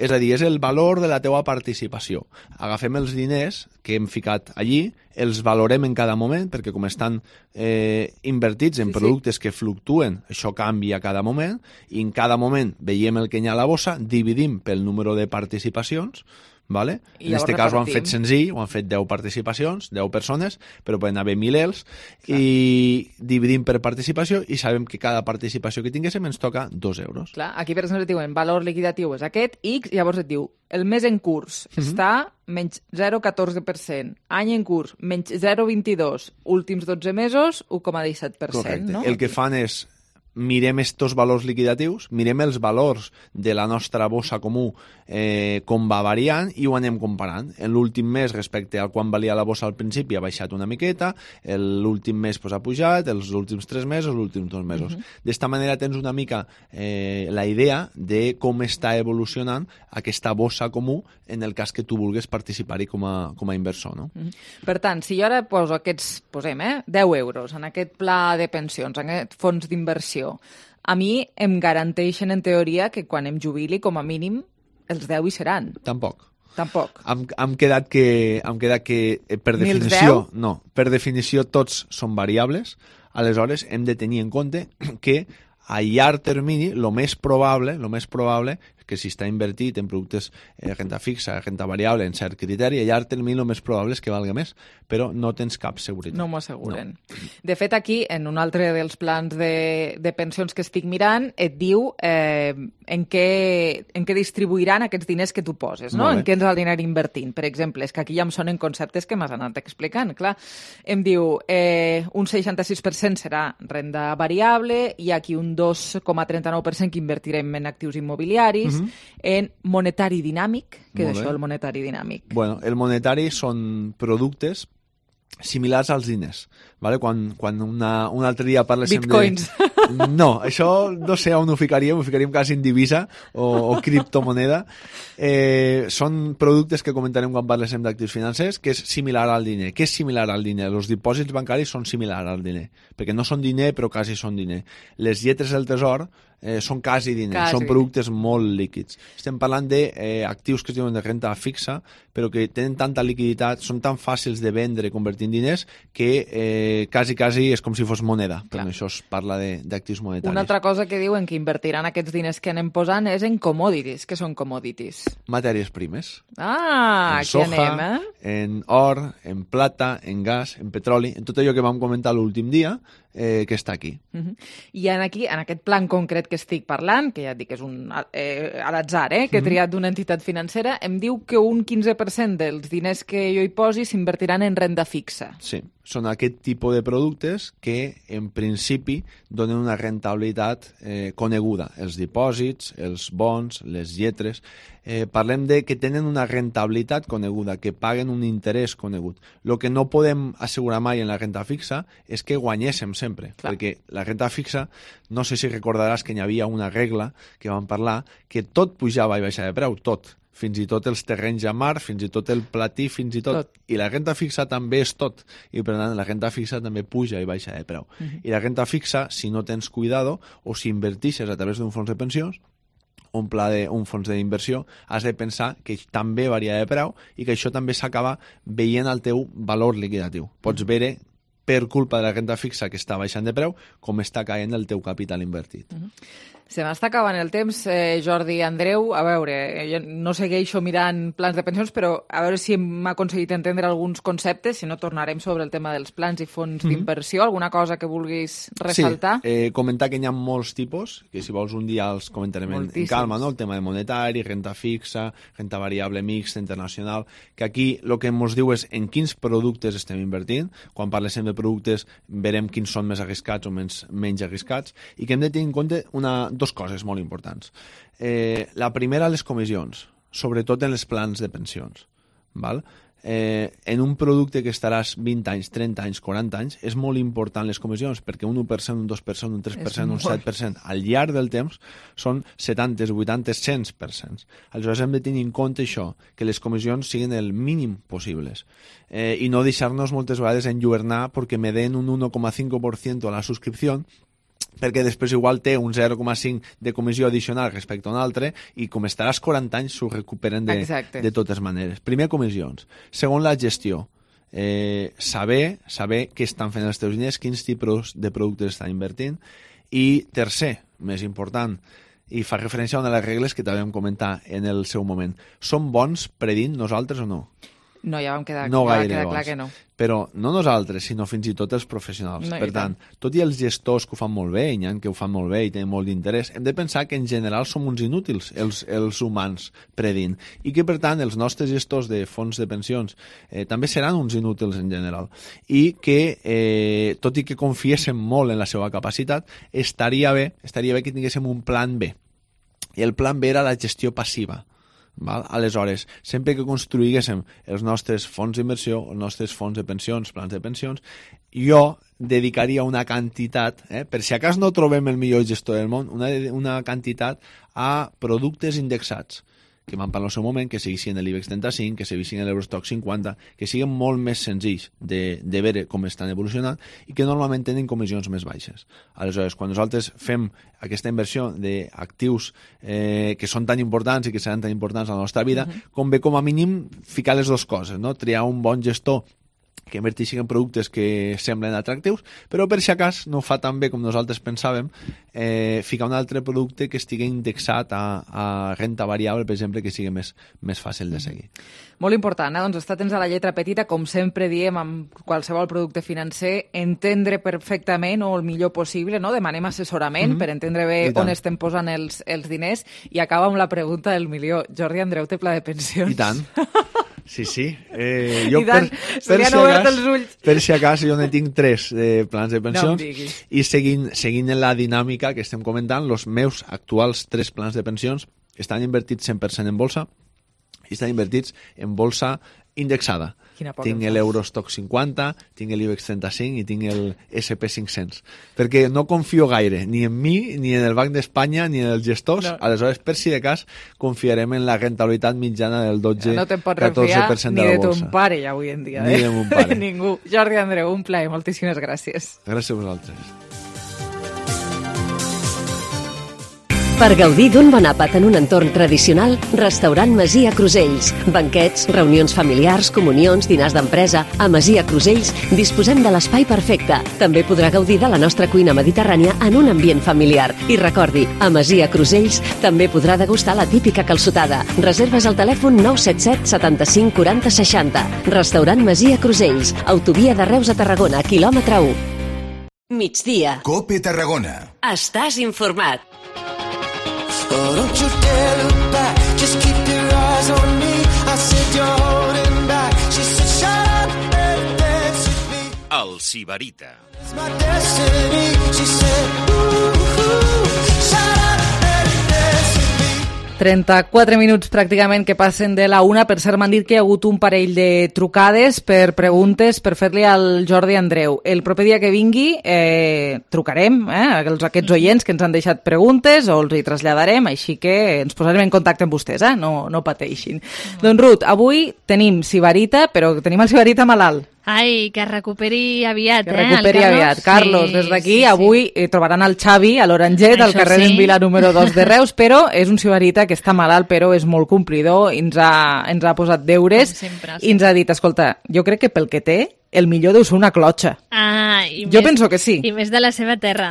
És a dir, és el valor de la teua participació. Agafem els diners que hem ficat allí, els valorem en cada moment, perquè com estan invertits en productes que fluctuen, això canvia cada moment, i en cada moment veiem el que hi ha a la bossa, dividim pel número de participacions, vale? En aquest cas ho han fet senzill, ho han fet 10 participacions, 10 persones, però poden haver milers, i dividim per participació i sabem que cada participació que tinguéssim ens toca 2 euros. Clar, aquí per exemple et diuen valor liquidatiu és aquest, X, llavors et diu el mes en curs està menys 0,14%, any en curs menys 0,22%, últims 12 mesos 1,17%. Correcte. No? El que fan és mirem estos valors liquidatius, mirem els valors de la nostra bossa comú com va variant i ho anem comparant. En l'últim mes respecte al quan valia la bossa al principi ha baixat una miqueta, l'últim mes ha pujat, els últims 3 mesos, els últims 2 mesos. D'esta manera tens una mica la idea de com està evolucionant aquesta bossa comú en el cas que tu vulguis participar-hi com a inversor. No? Per tant, si jo ara poso posem 10 euros en aquest pla de pensions, en aquest fons d'inversió, a mi em garanteixen en teoria que quan em jubili, com a mínim, els 10 hi seran. Tampoc. Tampoc. Hem quedat que per definició, no, per definició tots són variables. Aleshores, hem de tenir en compte que a llarg termini, el més probable que si està invertit en productes renta fixa, renta variable, en cert criteri, a llarg termini el més probable és que valga més, però no tens cap seguretat. No m'ho asseguren. No. De fet, aquí, en un altre dels plans de pensions que estic mirant, et diu en què distribuiran aquests diners que tu poses, no? En què ens el diner invertint. Per exemple, és que aquí ja em sonen conceptes que m'has anat explicant. Clar, em diu un 66% serà renda variable i aquí un 2,39% que invertirem en actius immobiliaris, en monetari dinàmic. Què és això, el monetari dinàmic? Bueno, el monetari són productes similars als diners. Vale? Quan un altre dia parléssim Bitcoins. No, això no sé on ho ficaríem quasi en divisa o criptomoneda. Són productes que comentarem quan parléssim d'actius financers, que és similar al diner. Què és similar al diner? Els dipòsits bancaris són similars al diner, perquè no són diner però quasi són diner. Les lletres del tresor són quasi diner, són productes molt líquids. Estem parlant d'actius que es diuen de renta fixa, però que tenen tanta liquiditat, són tan fàcils de vendre i convertir en diners que quasi és com si fos moneda. Però això es parla d'actius monetaris. Una altra cosa que diuen que invertiran aquests diners que anem posant és en commodities. Què són commodities? Matèries primes. Ah, aquí anem, en or, en plata, en gas, en petroli, en tot allò que vam comentar l'últim dia, que està aquí. I en aquest plan concret que estic parlant, que ja et dic que és a l'atzar, que he triat d'una entitat financera, em diu que un 15% dels diners que jo hi posi s'invertiran en renda fixa. Sí, són aquest tipus de productes que en principi donen una rentabilitat coneguda. Els dipòsits, els bons, les lletres. Parlem de que tenen una rentabilitat coneguda, que paguen un interès conegut. El que no podem assegurar mai en la renta fixa és que guanyéssim sempre, perquè la renta fixa, no sé si recordaràs que hi havia una regla que vam parlar, que tot pujava i baixava de preu, tot. Fins i tot els terrenys a mar, fins i tot el platí, fins i tot. I la renta fixa també és tot. I per tant, la renta fixa també puja i baixa de preu. I la renta fixa, si no tens cuidado, o si invertixes a través d'un fons de pensions, un fons d'inversió, has de pensar que també varia de preu i que això també s'acaba veient el teu valor liquidatiu. Pots veure per culpa de la renta fixa que està baixant de preu com està caient el teu capital invertit. Se m'està acabant el temps, Jordi. Andreu, a veure, jo no segueixo mirant plans de pensions, però a veure si m'ha aconseguit entendre alguns conceptes, si no tornarem sobre el tema dels plans i fons d'inversió. Alguna cosa que vulguis ressaltar? Sí, comentar que hi ha molts tipus, que si vols un dia els comentarem en calma, no? El tema de monetari, renta fixa, renta variable mixta, internacional, que aquí el que ens diu és en quins productes estem invertint. Quan parlem de productes verem quins són més arriscats o menys arriscats, i que hem de tenir en compte dos coses molt importants. La primera, les comissions, sobretot en els plans de pensions. Val? En un producte que estaràs 20 anys, 30 anys, 40 anys, és molt important les comissions, perquè un 1%, un 2%, un 3%, un 7%, al llarg del temps són 70, 80, 100%. Aleshores hem de tenir en compte això, que les comissions siguin el mínim possibles. I no deixar-nos moltes vegades enlluernar perquè me den un 1,5% a la subscripció, perquè després igual té un 0,5 de comissió addicional respecte a un altre i com estaràs 40 anys s'ho recuperen de totes maneres. Primer, comissions. Segon, la gestió. Saber què estan fent els teus diners, quins tipus de productes estan invertint. I tercer, més important, i fa referència a una de les regles que també vam comentar en el seu moment. Som bons predint nosaltres o no? No, ja vam quedar clar que no. Però no nosaltres, sinó fins i tot els professionals. No, per tant, tot i els gestors que ho fan molt bé, i n'hi ha que ho fan molt bé i tenen molt d'interès, hem de pensar que en general som uns inútils, els humans, predint. I que, per tant, els nostres gestors de fons de pensions també seran uns inútils en general. I que, tot i que confiéssim molt en la seva capacitat, estaria bé que tinguéssim un plan B. I el plan B era la gestió passiva. Val? Aleshores, sempre que construïguéssim els nostres fons d'inversió, els nostres fons de pensions, plans de pensions, jo dedicaria una quantitat, per si acas no trobem el millor gestor del món, una quantitat a productes indexats, que vam parlar al seu moment, que seguissin l'IBEX 35, que seguissin l'Eurostock 50, que siguin molt més senzills de veure com estan evolucionant i que normalment tenen comissions més baixes. Aleshores, quan nosaltres fem aquesta inversió d'actius que són tan importants i que seran tan importants a la nostra vida, convé com a mínim ficar les dues coses, no? Triar un bon gestor que inverteixin en productes que semblen atractius, però per si acas no fa tan bé com nosaltres pensàvem ficar un altre producte que estigui indexat a renta variable, per exemple, que sigui més fàcil de seguir. Molt important, doncs estar atents a la lletra petita, com sempre diem amb qualsevol producte financer, entendre perfectament o el millor possible, no? Demanem assessorament per entendre bé on estem posant els diners, i acaba amb la pregunta del milió. Jordi Andreu té pla de pensions? I tant. Sí. Jo per si acas jo ne tinc 3 plans de pensions i seguint en la dinàmica que estem comentant, els meus actuals 3 plans de pensions estan invertits 100% en bolsa i estan invertits en bolsa indexada. Tinc l'Eurostock 50, tinc l'IBEX 35 i tinc el SP500. Perquè no confio gaire, ni en mi, ni en el Banc d'Espanya, ni en els gestors. Aleshores, per si de cas, confiarem en la rentabilitat mitjana del 12-14% de la bolsa. No te'n pots refiar ni de ton pare, ja avui en dia. Ni de mon pare. Ningú. Jordi Andreu, un plaer. Moltíssimes gràcies. Gràcies a vosaltres. Per gaudir d'un bon àpat en un entorn tradicional, Restaurant Masia Crusells. Banquets, reunions familiars, comunions, dinars d'empresa. A Masia Crusells disposem de l'espai perfecte. També podrà gaudir de la nostra cuina mediterrània en un ambient familiar. I recordi, a Masia Crusells també podrà degustar la típica calçotada. Reserves al telèfon 977 75 40 60. Restaurant Masia Crusells. Autovia de Reus a Tarragona, quilòmetre 1. Migdia. COPE Tarragona. Estàs informat. Oh, don't you dare look back, just keep your eyes on me. I said you're holding back. She said shut up and dance with me. El Sibarita. It's my destiny. She said shut up and dance with me. 34 minuts pràcticament que passen de la 1. Per cert, m'han dit que hi ha hagut un parell de trucades per preguntes per fer-li al Jordi Andreu. El proper dia que vingui trucarem aquests oients que ens han deixat preguntes o els hi traslladarem, així que ens posarem en contacte amb vostès, no pateixin. Doncs Ruth, avui tenim Sibarita, però tenim el Sibarita malalt. Ai, que recuperi aviat, Que recuperi aviat. Carlos, des d'aquí, avui trobaran el Xavi a l'Oranget, al carrer d'en Vila número 2 de Reus, però és un Sibarita que està malalt, però és molt complidor, ens ha posat deures i ens ha dit, escolta, jo crec que pel que té, el millor deu ser una clotxa. Jo penso que sí. I més de la seva terra.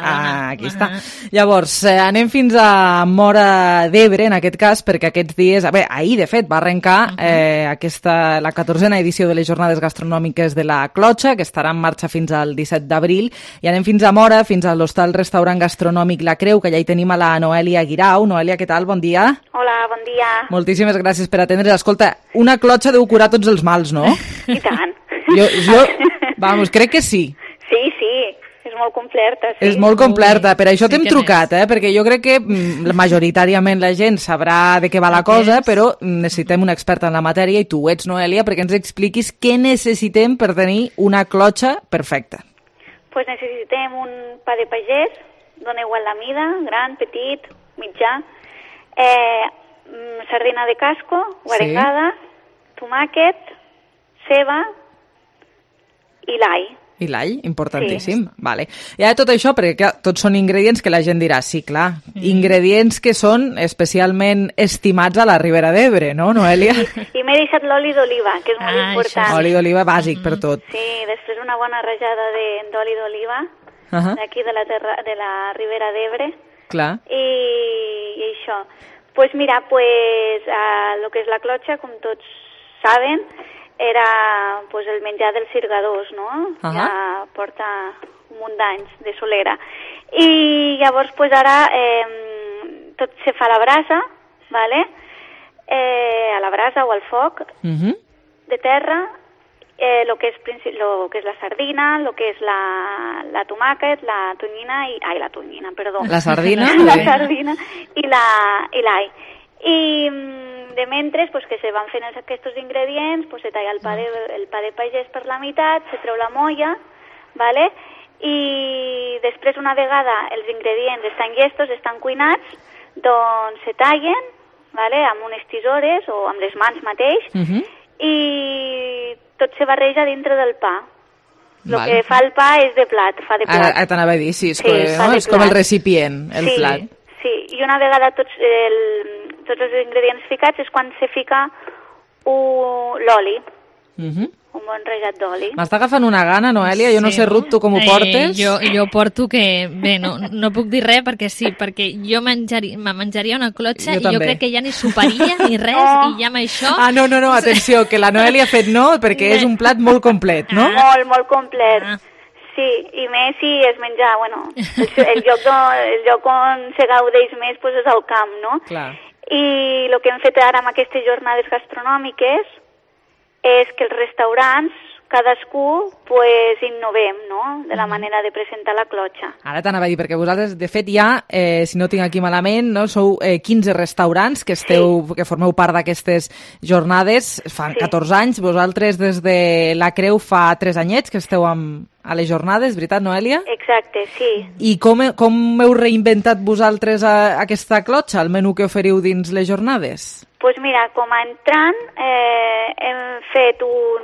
Aquí està. Llavors, anem fins a Móra d'Ebre, en aquest cas, perquè aquests dies... ahir, de fet, va arrencar la 14a edició de les Jornades Gastronòmiques de la Clotxa, que estarà en marxa fins al 17 d'abril, i anem fins a Móra, fins a l'hostal restaurant gastronòmic La Creu, que ja hi tenim a la Noèlia Guirau. Noèlia, què tal? Bon dia. Hola, bon dia. Moltíssimes gràcies per atendre. Escolta, una clotxa deu curar tots els mals, no? I tant. Jo crec que sí. Sí, és molt completa. Sí. És molt completa, per això t'hem trucat, perquè jo crec que majoritàriament la gent sabrà de què va la cosa, però necessitem una experta en la matèria, i tu ho ets, Noèlia, perquè ens expliquis què necessitem per tenir una clotxa perfecta. Pues necessitem un pa de pagès, dona igual la mida, gran, petit, mitjà, sardina de casco, guarengada, tomàquet, ceba i l'all. I l'all, importantíssim. Sí. Vale. I ara tot això, perquè clar, tots són ingredients que la gent dirà, sí, clar, ingredients que són especialment estimats a la Ribera d'Ebre, no, Noèlia? I m'he deixat l'oli d'oliva, que és molt important. Oli d'oliva bàsic per tot. Sí, després una bona rajada d'oli d'oliva, d'aquí de la Ribera d'Ebre. Clar. I això. Pues mira, lo que és la clotxa, com tots saben, era pues, el menjar dels sirgadors, no? Ja porta un munt d'anys de solera. I llavors pues, ara tot se fa a la brasa, ¿vale? A la brasa o al foc de terra, lo que és la sardina, lo que és la tomàquet, la tonyina i la tonyina, perdó. La sardina? La sardina i l'all. I de mentres, pues, que se van fent aquests ingredients, pues, se talla el pa de pagès per la meitat, se treu la molla, ¿vale? I després, una vegada els ingredients estan llestos, estan cuinats, doncs se tallen, ¿vale? Amb unes tisores o amb les mans mateix, i tot se barreja dintre del pa. El que fa el pa és de plat, fa de plat. Ara t'anava a dir, sí, és com el recipient, el plat. Sí, i una vegada tots els ingredients ficats és quan se fica l'oli un bon rajat d'oli. M'està agafant una gana, Noelia, jo no sé, Ruth, tu com ho portes? Jo porto que... Bé, no puc dir res perquè sí, perquè jo me menjaria una clotxa i jo crec que ja ni soparia ni res i ja amb això... No, atenció, que la Noelia ha fet no, perquè és un plat molt complet, no? Molt complet. Sí, i més si es menja, bueno, el lloc on se gaudeix més pues, és el camp, no? Clar. I el que hem fet ara amb aquestes jornades gastronòmiques és que els restaurants, cadascú, pues, innovem, no?, de la manera de presentar la clotxa. Ara t'anava a dir, perquè vosaltres, de fet, ja, si no tinc aquí malament, no, sou 15 restaurants que que formeu part d'aquestes jornades, fa 14 anys, vosaltres des de la Creu fa 3 anyets que esteu a les jornades, veritat, Noelia? Exacte, sí. I com heu reinventat vosaltres aquesta clotxa, el menú que oferiu dins les jornades? Doncs mira, com a entrant hem fet un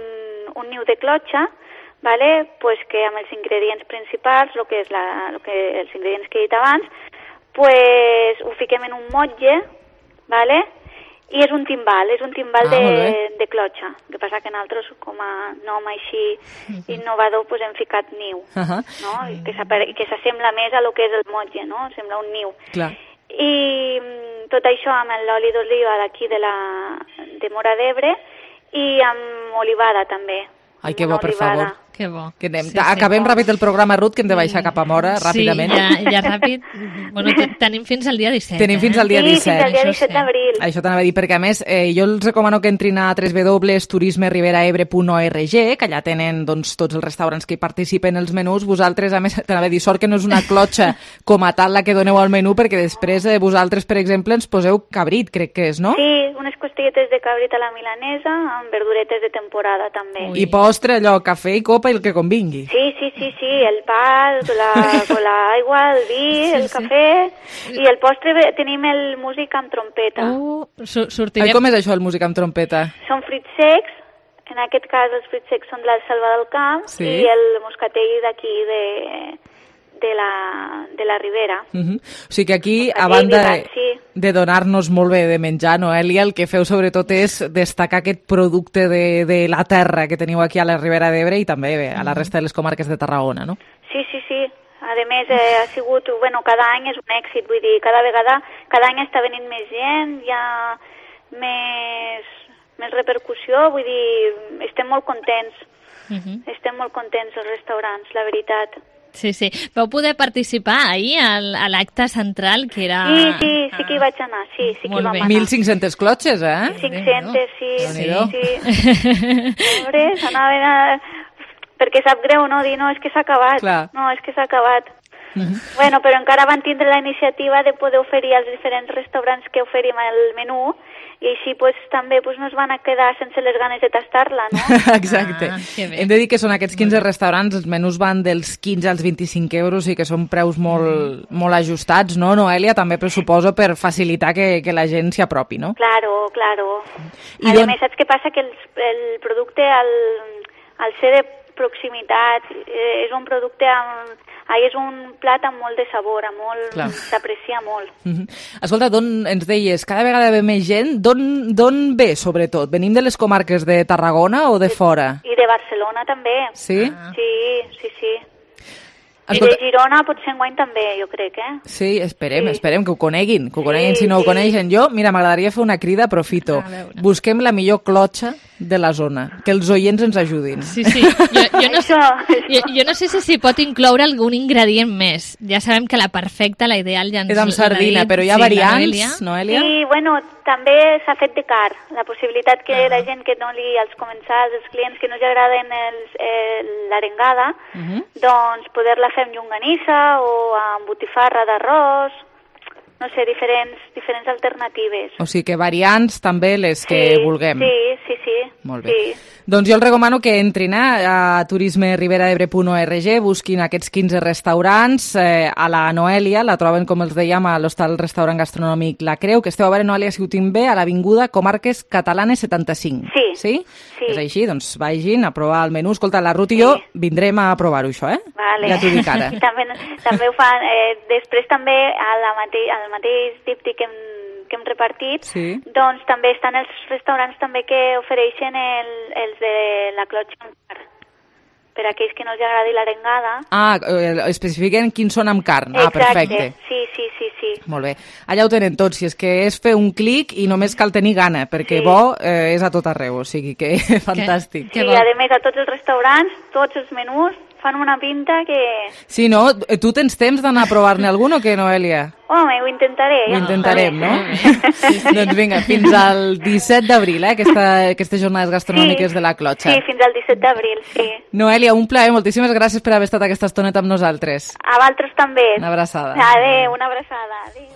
niu de clotxa, vale? Pues que amb els ingredients principals, els ingredients que he dit abans, pues ho fiquem en un motlle, vale? I és un timbal de clotxa. El que passa que nosaltres, com a nom així innovador, pues hem ficat niu, no? I que s'assembla més a lo que és el motlle, no? Sembla un niu. Clar. I tot això amb l'oli d'oliva d'aquí de Móra d'Ebre i amb olivada també. Ai, que bo, per favor. Que bo. Que acabem ràpid el programa, Ruth, que hem de baixar cap a Móra, ràpidament. Sí, ja ràpid. Bueno, tenim fins al dia 17. Tenim fins al dia 17. Sí, fins al dia 17 d'abril. Això t'anava a dir, perquè a més jo els recomano que entrin a www.turismeriberaebre.org, que allà tenen doncs, tots els restaurants que hi participen els menús. Vosaltres, a més, t'anava a dir, sort que no és una clotxa com a tal la que doneu al menú, perquè després vosaltres, per exemple, ens poseu cabrit, crec que és, no? Sí, unes costilletes de cabrit a la milanesa amb verduretes de temporada també. I postre, allò, cafè i copa i el que convingui. Sí, el pa, l'aigua, el vi, el cafè i el postre tenim el músic amb trompeta. Sortirem. Com és això, el músic amb trompeta? Són fruits secs, en aquest cas els fruits secs són de la Selva del Camp i el moscatell d'aquí de la Ribera. O sigui que aquí, a banda de donar-nos molt bé de menjar, Noelia, el que feu sobretot és destacar aquest producte de la terra que teniu aquí a la Ribera d'Ebre i també a la resta de les comarques de Tarragona, no? Sí. A més, ha sigut, cada any és un èxit, vull dir, cada any està venint més gent, hi ha més repercussió, vull dir, estem molt contents. Estem molt contents els restaurants, la veritat. Sí. Vau poder participar ahir a l'acte central, que era... Sí que hi vaig anar, sí que hi vam anar. 1.500 clotxes, 500, sí. Pobre, s'anaven a... Perquè sap greu, no? Dir, no, és que s'ha acabat. Clar. No, és que s'ha acabat. Bueno, però encara van tindre la iniciativa de poder oferir als diferents restaurants que oferim el menú i així pues, també pues, no es van a quedar sense les ganes de tastar-la, no? Exacte. Hem de dir que són aquests 15 restaurants, els menús van dels 15 als 25 euros i que són preus molt ajustats, no, Noelia? També pressuposo per facilitar que la gent s'hi apropi, no? Claro. A més, saps què passa? Que el producte, al ser de proximitat, és un producte és un plat amb molt de sabor, s'aprecia molt. Escolta, d'on ens deies, cada vegada ve més gent, d'on ve, sobretot? Venim de les comarques de Tarragona o de fora? I de Barcelona també. Sí? Sí. I de Girona potser enguany també, jo crec, Sí, esperem que ho coneguin, si no ho coneixen. Jo, mira, m'agradaria fer una crida, aprofito. Busquem la millor clotxa de la zona, que els oients ens ajudin. Sí. Jo no sé si s'hi pot incloure algun ingredient més. Ja sabem que la perfecta, la ideal ja ens... És amb sardina, però hi ha variants, Noelia? Sí, bueno, també s'ha fet de car. La possibilitat que la gent que no els comensals, els clients que no els agraden l'arengada, doncs poder-la fer amb llonganissa o amb botifarra d'arròs, no sé, diferents alternatives. O sigui que variants també les que vulguem. Sí. Molt bé. Doncs jo els recomano que entrin a turismeriberaebre.org, busquin aquests 15 restaurants. A la Noelia la troben, com els dèiem, a l'hostal restaurant gastronòmic La Creu, que esteu a veure, Noelia, si ho tinc bé, a l'Avinguda Comarques Catalanes 75. Sí. És així, doncs vagin a provar el menú. Escolta, la Ruth i jo vindrem a provar-ho, això, Vale. Ja t'ho dic ara. també ho fan. Després també al mateix díptic que que hem repartit, doncs també estan els restaurants també que ofereixen els de la clotxa amb carn. Per a aquells que no els agradi l'arengada. Especifiquen quins són amb carn. Exacte. Perfecte. Sí. Molt bé. Allà ho tenen tots, si és que és fer un clic i només cal tenir gana, perquè bo és a tot arreu, o sigui que fantàstic. Sí, a més, a tots els restaurants, tots els menús fan una pinta que... Sí, no? Tu tens temps d'anar a provar-ne algun o què, Noelia? Home, ho intentaré. Ho intentarem, no? Doncs vinga, fins al 17 d'abril, aquestes jornades gastronòmiques de la Clotxa. Sí, fins al 17 d'abril, sí. Noelia, un plaer, moltíssimes gràcies per haver estat aquesta estoneta amb nosaltres. A vosaltres també. Una abraçada. Adéu, una abraçada. Adéu.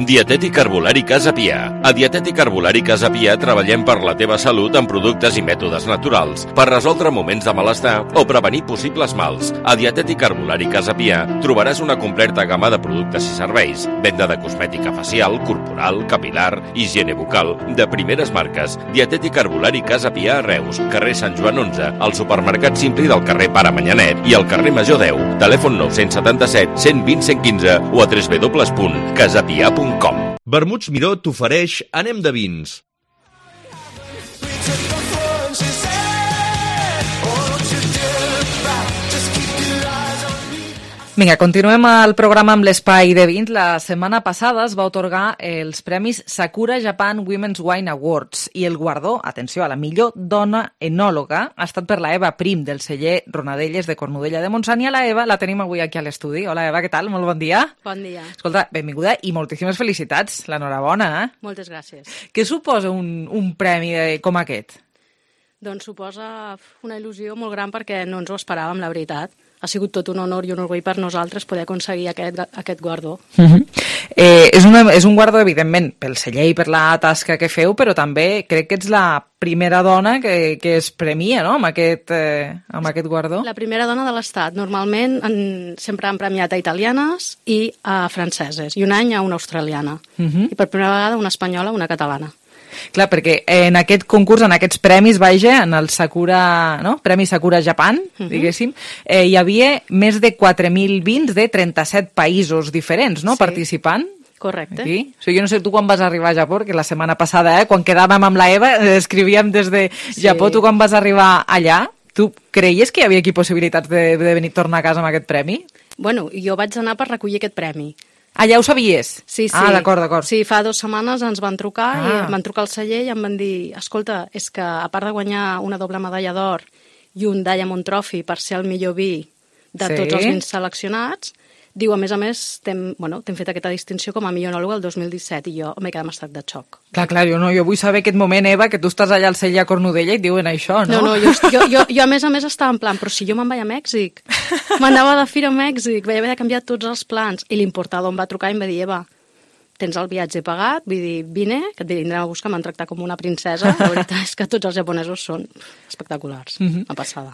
Dietètic Herbolari Casa Pia. A Dietètic Herbolari Casa Pia treballem per la teva salut amb productes i mètodes naturals, per resoldre moments de malestar o prevenir possibles mals. A Dietètic Herbolari Casa Pia trobaràs una completa gamma de productes i serveis, venda de cosmètica facial, corporal, capilar, higiene bucal, de primeres marques. Dietètic Herbolari Casa Pia a Reus, carrer Sant Joan 11, al supermercat Simpli del carrer Pare Manyanet i al carrer Major 10. Telèfon 977 120 115 o a www.casapia.com. Vermuts Miró t'ofereix Anem de vins. Vinga, continuem el programa amb l'espai de vins. La setmana passada es va atorgar els premis Sakura Japan Women's Wine Awards i el guardó, atenció, a la millor dona enòloga ha estat per la Eva Prim del celler Ronadelles de Cornudella de Montsant, i a la Eva la tenim avui aquí a l'estudi. Hola Eva, què tal? Molt bon dia. Bon dia. Escolta, benvinguda i moltíssimes felicitats. L'enhorabona. Moltes gràcies. Què suposa un premi com aquest? Doncs suposa una il·lusió molt gran perquè no ens ho esperàvem, la veritat. Ha sigut tot un honor i un orgull per nosaltres poder aconseguir aquest guardó. És un guardó, evidentment, pel celler i per la tasca que feu, però també crec que ets la primera dona que es premia, no?, amb aquest guardó. La primera dona de l'Estat. Normalment sempre han premiat a italianes i a franceses, i un any a una australiana. I per primera vegada una espanyola, una catalana. Clar, perquè en aquest concurs, en aquests premis, en el Sakura, no? Premi Sakura Japan, diguéssim, hi havia més de 4.000 vins de 37 països diferents, no?, participant. Correcte. Aquí. O sigui, jo no sé tu quan vas arribar a Japó, perquè la setmana passada, quan quedàvem amb la Eva, escrivíem des de Japó, tu quan vas arribar allà, tu creies que hi havia aquí possibilitats de venir a tornar a casa amb aquest premi? Bueno, jo vaig anar per recollir aquest premi. Ah, ja ho sabies? Sí. Ah, d'acord. Sí, fa 2 setmanes ens van trucar i em van trucar al celler i em van dir, escolta, és que a part de guanyar una doble medalla d'or i un Diamond Trophy per ser el millor vi de tots els vins seleccionats, diu, a més, t'hem fet aquesta distinció com a millor enòloga el 2017 i jo m'he quedat en estat de xoc. Clar, jo vull saber aquest moment, Eva, que tu estàs allà al celler a Cornudella i et diuen això, no? No, jo a més estava en plan, però si jo me'n vaig a Mèxic, m'anava de fira a Mèxic, vaig haver de canviar tots els plans, i l'importador em va trucar i em va dir, Eva, tens el viatge pagat, vull dir, vine, que et vindrem a buscar, m'han tractat com una princesa, la veritat és que tots els japonesos són espectaculars, una passada.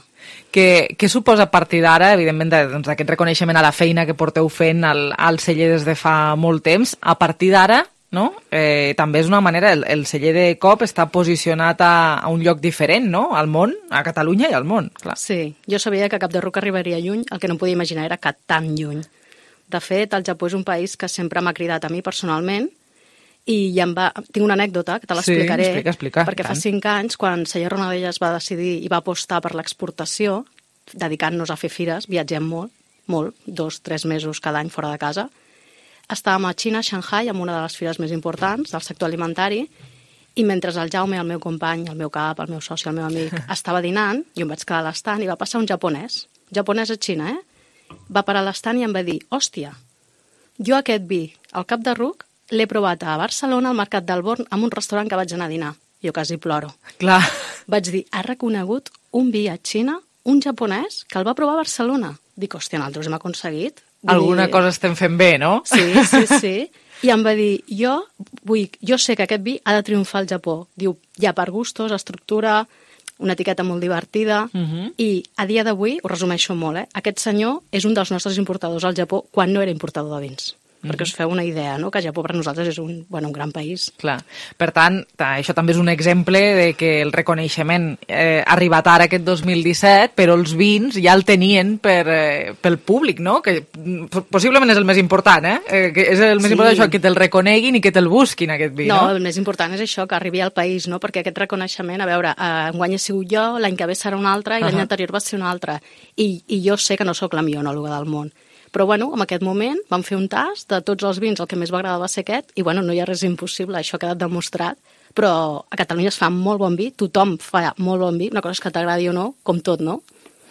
Què suposa a partir d'ara, evidentment, d'aquest reconeixement a la feina que porteu fent al celler des de fa molt temps, a partir d'ara, no? També és una manera, el celler de cop està posicionat a un lloc diferent, no?, al món, a Catalunya i al món, clar. Sí, jo sabia que Capderruc arribaria lluny, el que no podia imaginar era que tan lluny. De fet, el Japó és un país que sempre m'ha cridat a mi personalment i tinc una anècdota que te l'explicaré. Sí, explica. Perquè fa 5 anys, quan Celler Ronadelles va decidir i va apostar per l'exportació, dedicant-nos a fer fires, viatgem molt, 2-3 mesos cada any fora de casa, estàvem a Xina, a Shanghai, amb una de les fires més importants del sector alimentari, i mentre el Jaume, el meu company, el meu cap, el meu soci, el meu amic, estava dinant, jo em vaig quedar a l'estant i va passar un japonès a Xina, va parar a l'estant i em va dir, hòstia, jo aquest vi, al Capderruc, l'he provat a Barcelona, al Mercat del Born, en un restaurant que vaig anar a dinar. Jo quasi ploro. Clar. Vaig dir, ha reconegut un vi a Xina, un japonès, que el va provar a Barcelona. Dic, hòstia, nosaltres hem aconseguit. Alguna cosa estem fent bé, no? Sí. I em va dir, jo sé que aquest vi ha de triomfar al Japó. Diu, ja per gustos, estructura, una etiqueta molt divertida, i a dia d'avui, ho resumeixo molt, aquest senyor és un dels nostres importadors al Japó quan no era importador de vins. perquè us feu una idea, no? Que Japó per nosaltres és un gran país. Clar. Per tant, això també és un exemple de que el reconeixement ha arribat ara aquest 2017, però els vins ja el tenien pel públic, no? Que possiblement és el més important, que és el més important això, que te'l reconeguin i que te'l busquin, aquest vi, no? No, el més important és això, que arribi al país, no? Perquè aquest reconeixement, a veure, enguany he sigut jo, l'any que ve serà un altre i l'any anterior va ser un altre. I jo sé que no sóc la millor enòloga del món. Però, bueno, en aquest moment vam fer un tast de tots els vins, el que més va agradar va ser aquest, i, bueno, no hi ha res impossible, això ha quedat demostrat, però a Catalunya es fa molt bon vi, tothom fa molt bon vi, una cosa és que t'agradi o no, com tot, no?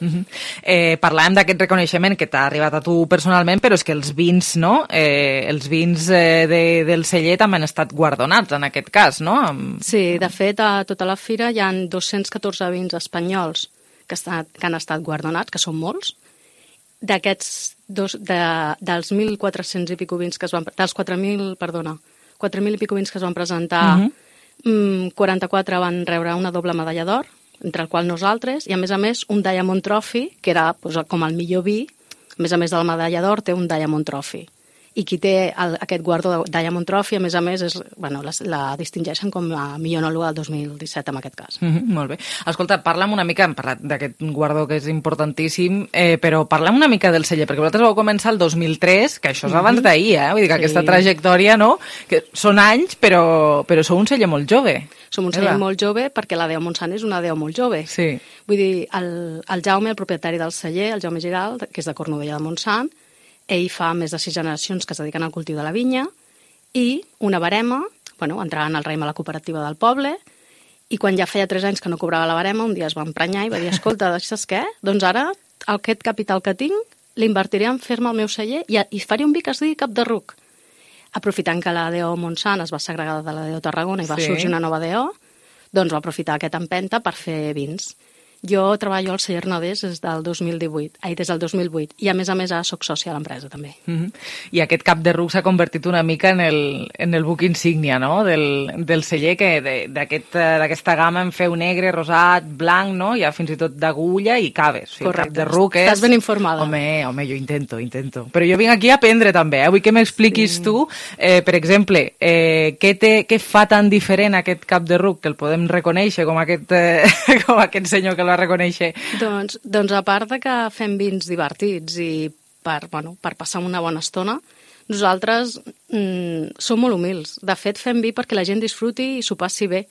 Parlàvem d'aquest reconeixement que t'ha arribat a tu personalment, però és que els vins, no? Els vins del celler també han estat guardonats, en aquest cas, no? Sí, de fet, a tota la fira hi ha 214 vins espanyols que han estat guardonats, que són molts. D'aquests, dels 1.400 i pico vins que es van... Dels 4.000 i pico vins que es van presentar, 44 van rebre una doble medalla d'or, entre el qual nosaltres, i a més un Diamond Trophy, que era com el millor vi, a més de la medalla d'or té un Diamond Trophy. I qui té aquest guardó de Diamond Trophy, a més, la distingeixen com la millor enòloga del 2017, en aquest cas. Molt bé. Escolta, parla'm una mica, hem parlat d'aquest guardó que és importantíssim, però parla'm una mica del celler, perquè vosaltres vau començar el 2003, que això és abans d'ahir, vull dir que aquesta trajectòria, no? Que són anys, però sou un celler molt jove. Som un celler molt jove perquè la Deo Montsant és una Deo molt jove. Sí. Vull dir, el Jaume, el propietari del celler, el Jaume Giral, que és de Cornudella de Montsant, ell fa més de 6 generacions que es dediquen al cultiu de la vinya i una barema, entrant al raïm a la cooperativa del poble, i quan ja feia 3 anys que no cobrava la barema, un dia es va emprenyar i va dir, escolta, saps què? Doncs ara aquest capital que tinc l'invertiré en fer-me el meu celler i faré un vi que es digui Cap de Ruc. Aprofitant que la Deo Montsant es va segregar de la Deo Tarragona i va sorgir una nova Deo, doncs va aprofitar aquesta empenta per fer vins. Jo treballo al celler Nodés des del 2008, i a més ara soc sòcia a l'empresa també. I aquest Cap de Ruc s'ha convertit una mica en el buc insígnia, no?, del celler, que d'aquesta gamma en feu negre, rosat, blanc, no?, hi ha fins i tot d'agulla i caves. O sigui, correcte, Cap de Ruc és... Estàs ben informada. Home, jo intento. Però jo vinc aquí a aprendre també, vull que m'expliquis tu, per exemple, què fa tan diferent aquest Cap de Ruc, que el podem reconèixer com aquest senyor que el va reconèixer? Doncs a part de que fem vins divertits i per passar una bona estona, nosaltres som molt humils. De fet, fem vi perquè la gent disfruti i s'ho passi bé.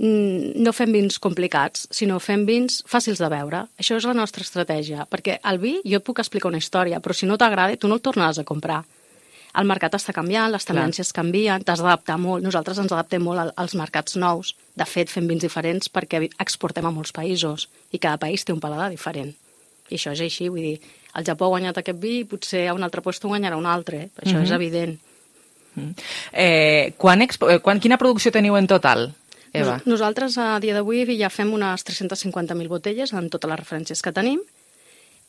No fem vins complicats, sinó fem vins fàcils de beure. Això és la nostra estratègia, perquè el vi jo et puc explicar una història, però si no t'agrada, tu no el tornaràs a comprar. El mercat està canviant, les tendències canvien, t'has d'adaptar molt. Nosaltres ens adaptem molt als mercats nous. De fet, fem vins diferents perquè exportem a molts països i cada país té un paladar diferent. I això és així, vull dir, el Japó ha guanyat aquest vi i potser a un altre lloc guanyarà un altre. Això és evident. Quina producció teniu en total, Eva? Nosaltres a dia d'avui ja fem unes 350.000 botelles en totes les referències que tenim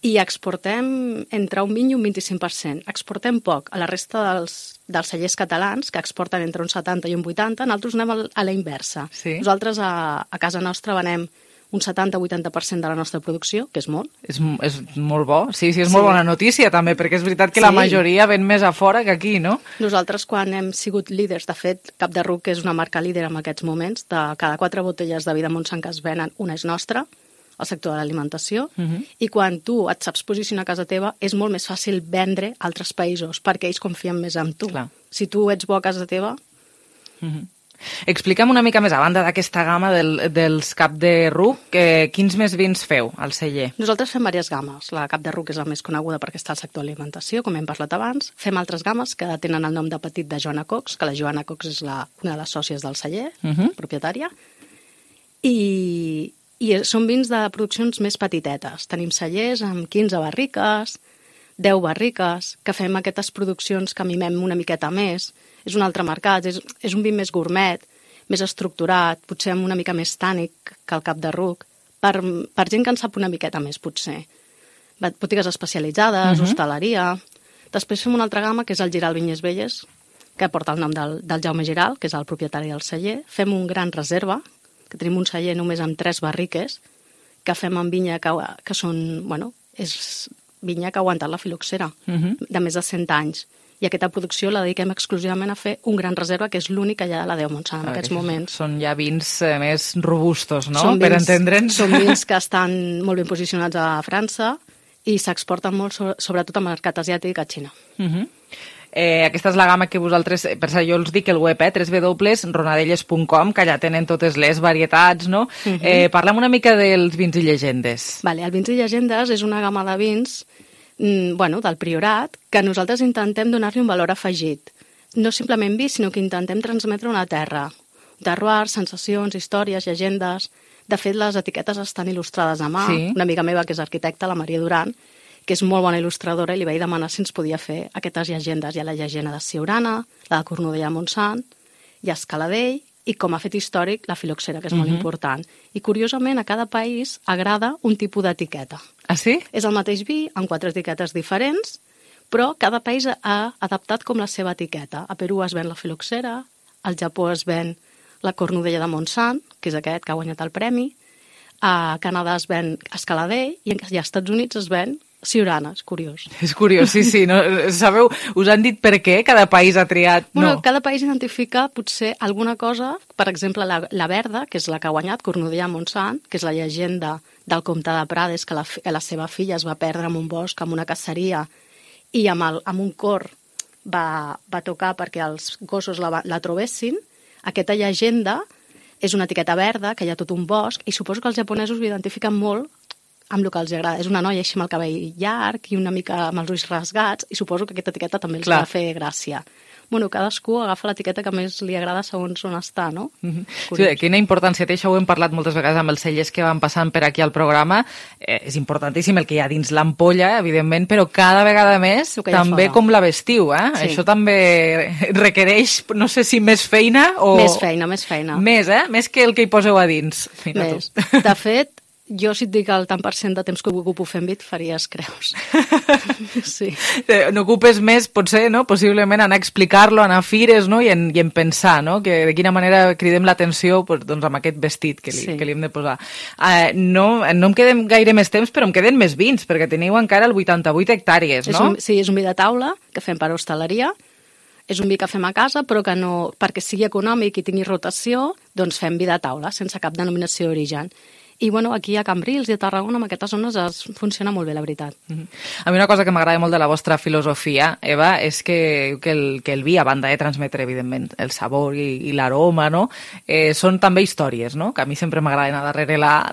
i exportem entre un 20 i un 25%. Exportem poc. A la resta dels cellers catalans, que exporten entre un 70 i un 80, nosaltres anem a la inversa. Sí. Nosaltres a casa nostra venem un 70-80% de la nostra producció, que és molt. És molt bo, sí, és molt bona notícia també, perquè és veritat que la majoria ven més a fora que aquí, no? Nosaltres quan hem sigut líders, de fet, Cap de Ruc és una marca líder en aquests moments, de cada 4 botelles de vi de Montsant que es venen, una és nostra, al sector de l'alimentació, i quan tu et saps posicionar a casa teva és molt més fàcil vendre a altres països, perquè ells confien més en tu. Clar. Si tu ets bo a casa teva... Explica'm una mica més, a banda d'aquesta gamma dels Cap de Ruc, quins més vins feu al celler? Nosaltres fem diverses gammes. La Cap de Ruc és la més coneguda perquè està al sector de l'alimentació, com hem parlat abans. Fem altres gammes que tenen el nom de petit de Joana Cox, que la Joana Cox és una de les sòcies del celler, propietària, i són vins de produccions més petitetes. Tenim cellers amb 15 barriques, 10 barriques, que fem aquestes produccions que mimem una miqueta més. És un altre mercat, és un vi més gourmet, més estructurat, potser amb una mica més tànic que el Cap de Ruc, per gent que en sap una miqueta més, potser. Botigues especialitzades, hostaleria... Després fem una altra gamma, que és el Giral Vinyes Velles, que porta el nom del Jaume Giral, que és el propietari del celler. Fem un gran reserva, que tenim un celler només amb 3 barriques, que fem amb vinya que són... és vinya que ha aguantat la filoxera, de més de 100 anys. i aquesta producció la dediquem exclusivament a fer un gran reserva, que és l'únic que hi ha a la Déu Montsant en aquests moments. Són ja vins més robustos, no? Per entendre'ns. Són vins que estan molt ben posicionats a França i s'exporten molt, sobretot al mercat asiàtic, a Xina. Aquesta és la gamma que vosaltres, per això jo els dic el web, www.ronadelles.com, que allà tenen totes les varietats, no? Parlem una mica dels vins i llegendes. Vale, el vins i llegendes és una gamma de vins del Priorat, que nosaltres intentem donar-li un valor afegit. No simplement vi, sinó que intentem transmetre una terra. Terroir, sensacions, històries, llegendes. De fet, les etiquetes estan il·lustrades a mà. Una amiga meva, que és arquitecta, la Maria Duran, que és molt bona il·lustradora, i li vaig demanar si ens podia fer aquestes llegendes. Hi ha la llegenda de Siurana, la de Cornudella Montsant, hi ha Escaladell, i com a fet històric, la filoxera, que és molt important. I, curiosament, a cada país agrada un tipus d'etiqueta. Ah, sí? És el mateix vi, amb 4 etiquetes diferents, però cada país ha adaptat com la seva etiqueta. A Perú es ven la filoxera, al Japó es ven la Cornudella de Montsant, que és aquest que ha guanyat el premi, a Canadà es ven Escaladell, i als Estats Units es ven Siurana, és curiós. És curiós, sí. No? Sabeu, us han dit per què cada país ha triat? Bueno, cada país identifica potser alguna cosa, per exemple, la verda, que és la que ha guanyat, Cornudella Montsant, que és la llegenda del comte de Prades, que la seva filla es va perdre en un bosc, en una caceria, i amb un cor va tocar perquè els gossos la trobessin. Aquesta llegenda és una etiqueta verda, que hi ha tot un bosc, i suposo que els japonesos ho identifiquen molt amb el que els agrada. És una noia així amb el cabell llarg i una mica amb els ulls rasgats, i suposo que aquesta etiqueta també els va fer gràcia. Bueno, cadascú agafa l'etiqueta que més li agrada segons on està, no? Sí, quina importància té, això ho hem parlat moltes vegades amb els cellers que van passant per aquí al programa. És importantíssim el que hi ha dins l'ampolla, evidentment, però cada vegada més també com la vestiu, eh? Sí. Això també requereix, no sé si més feina o... Més feina. Més que el que hi poseu a dins. Més. De fet, jo, si et dic el tant per cent de temps que ocupo fent vi, et faries creus. Sí. N'ocupes més, potser, no? Possiblement anar a explicar-lo, anar a fires, no? I en pensar, no? Que de quina manera cridem l'atenció doncs, amb aquest vestit que li hem de posar. No em quedem gaire més temps, però em queden més vins, perquè teniu encara el 88 hectàrees, no? Sí, és un vi de taula que fem per hostaleria. És un vi que fem a casa, però que no, perquè sigui econòmic i tingui rotació, doncs fem vi de taula, sense cap denominació d'origen. I bueno, aquí a Cambrils i a Tarragona, en aquestes zones, funciona molt bé, la veritat. A mi una cosa que m'agrada molt de la vostra filosofia, Eva, és que el vi, a banda de transmetre, evidentment, el sabor i l'aroma, no? Són també històries, no? Que a mi sempre m'agrada anar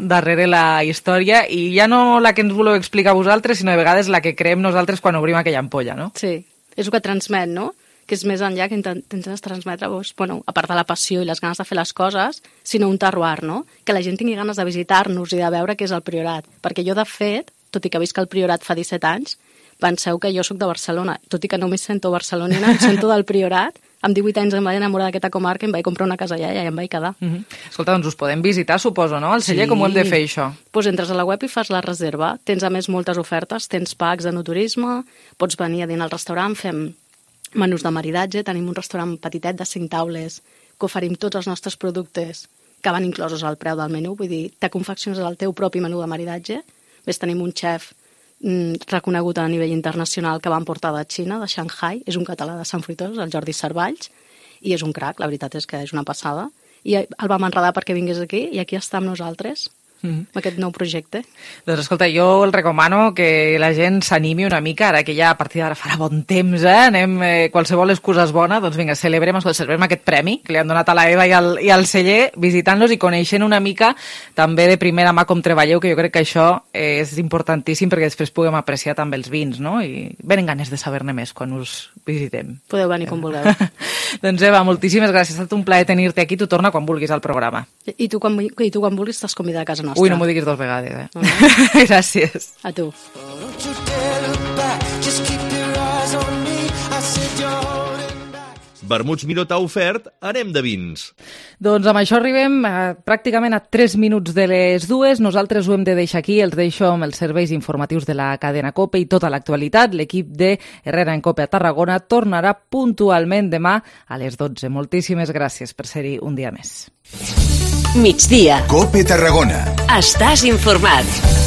darrere la història, i ja no la que ens voleu explicar vosaltres, sinó de vegades la que creem nosaltres quan obrim aquella ampolla, no? Sí, és el que transmet, no? Que és més enllà que intentes transmetre, a part de la passió i les ganes de fer les coses, sinó un terroir, no? Que la gent tingui ganes de visitar-nos i de veure què és el Priorat. Perquè jo, de fet, tot i que visc al Priorat fa 17 anys, penseu que jo sóc de Barcelona. Tot i que no m'hi sento barcelonina, em sento del Priorat. Amb 18 anys em vaig enamorar d'aquesta comarca, em vaig comprar una casa allà i em vaig quedar. Escolta, doncs us podem visitar, suposo, no? El celler, com ho hem de fer, això? Doncs entres a la web i fas la reserva. Tens, a més, moltes ofertes. Tens packs de no-turisme, pots venir a dinar al restaurant, fem menús de maridatge, tenim un restaurant petitet de 5 taules que oferim tots els nostres productes que van inclosos al preu del menú, vull dir, te confecciones el teu propi menú de maridatge. Ves, tenim un xef reconegut a nivell internacional que van portar de Xina, de Shanghai, és un català de Sant Fruitós, el Jordi Cervalls, i és un crac, la veritat és que és una passada. I el vam enredar perquè vingués aquí, i aquí està amb nosaltres. Aquest nou projecte. Doncs escolta, jo el recomano que la gent s'animi una mica, ara que ja a partir d'ara farà bon temps, anem, qualsevol excusa és bona, doncs vinga, celebrem aquest premi que li han donat a la Eva i al celler, visitant-los i coneixent una mica també de primera mà com treballeu, que jo crec que això és importantíssim perquè després puguem apreciar també els vins, no? I venen ganes de saber-ne més quan us visitem. Podeu venir com vulgueu. Doncs Eva, moltíssimes gràcies, ha estat un plaer tenir-te aquí, tu torna quan vulguis al programa. I tu quan vulguis estàs convidat a casa nostra. Ui, no m'ho diguis 2 vegades, Gràcies. A tu. Vermuts Miró t'ha ofert Anem de vins. Doncs amb això arribem pràcticament a 3 minuts de les 2. Nosaltres ho hem de deixar aquí, els deixo amb els serveis informatius de la cadena COPE i tota l'actualitat. L'equip de Herrera en COPE a Tarragona tornarà puntualment demà a les 12. Moltíssimes gràcies per ser-hi un dia més. Migdia. COPE Tarragona. Estàs informat.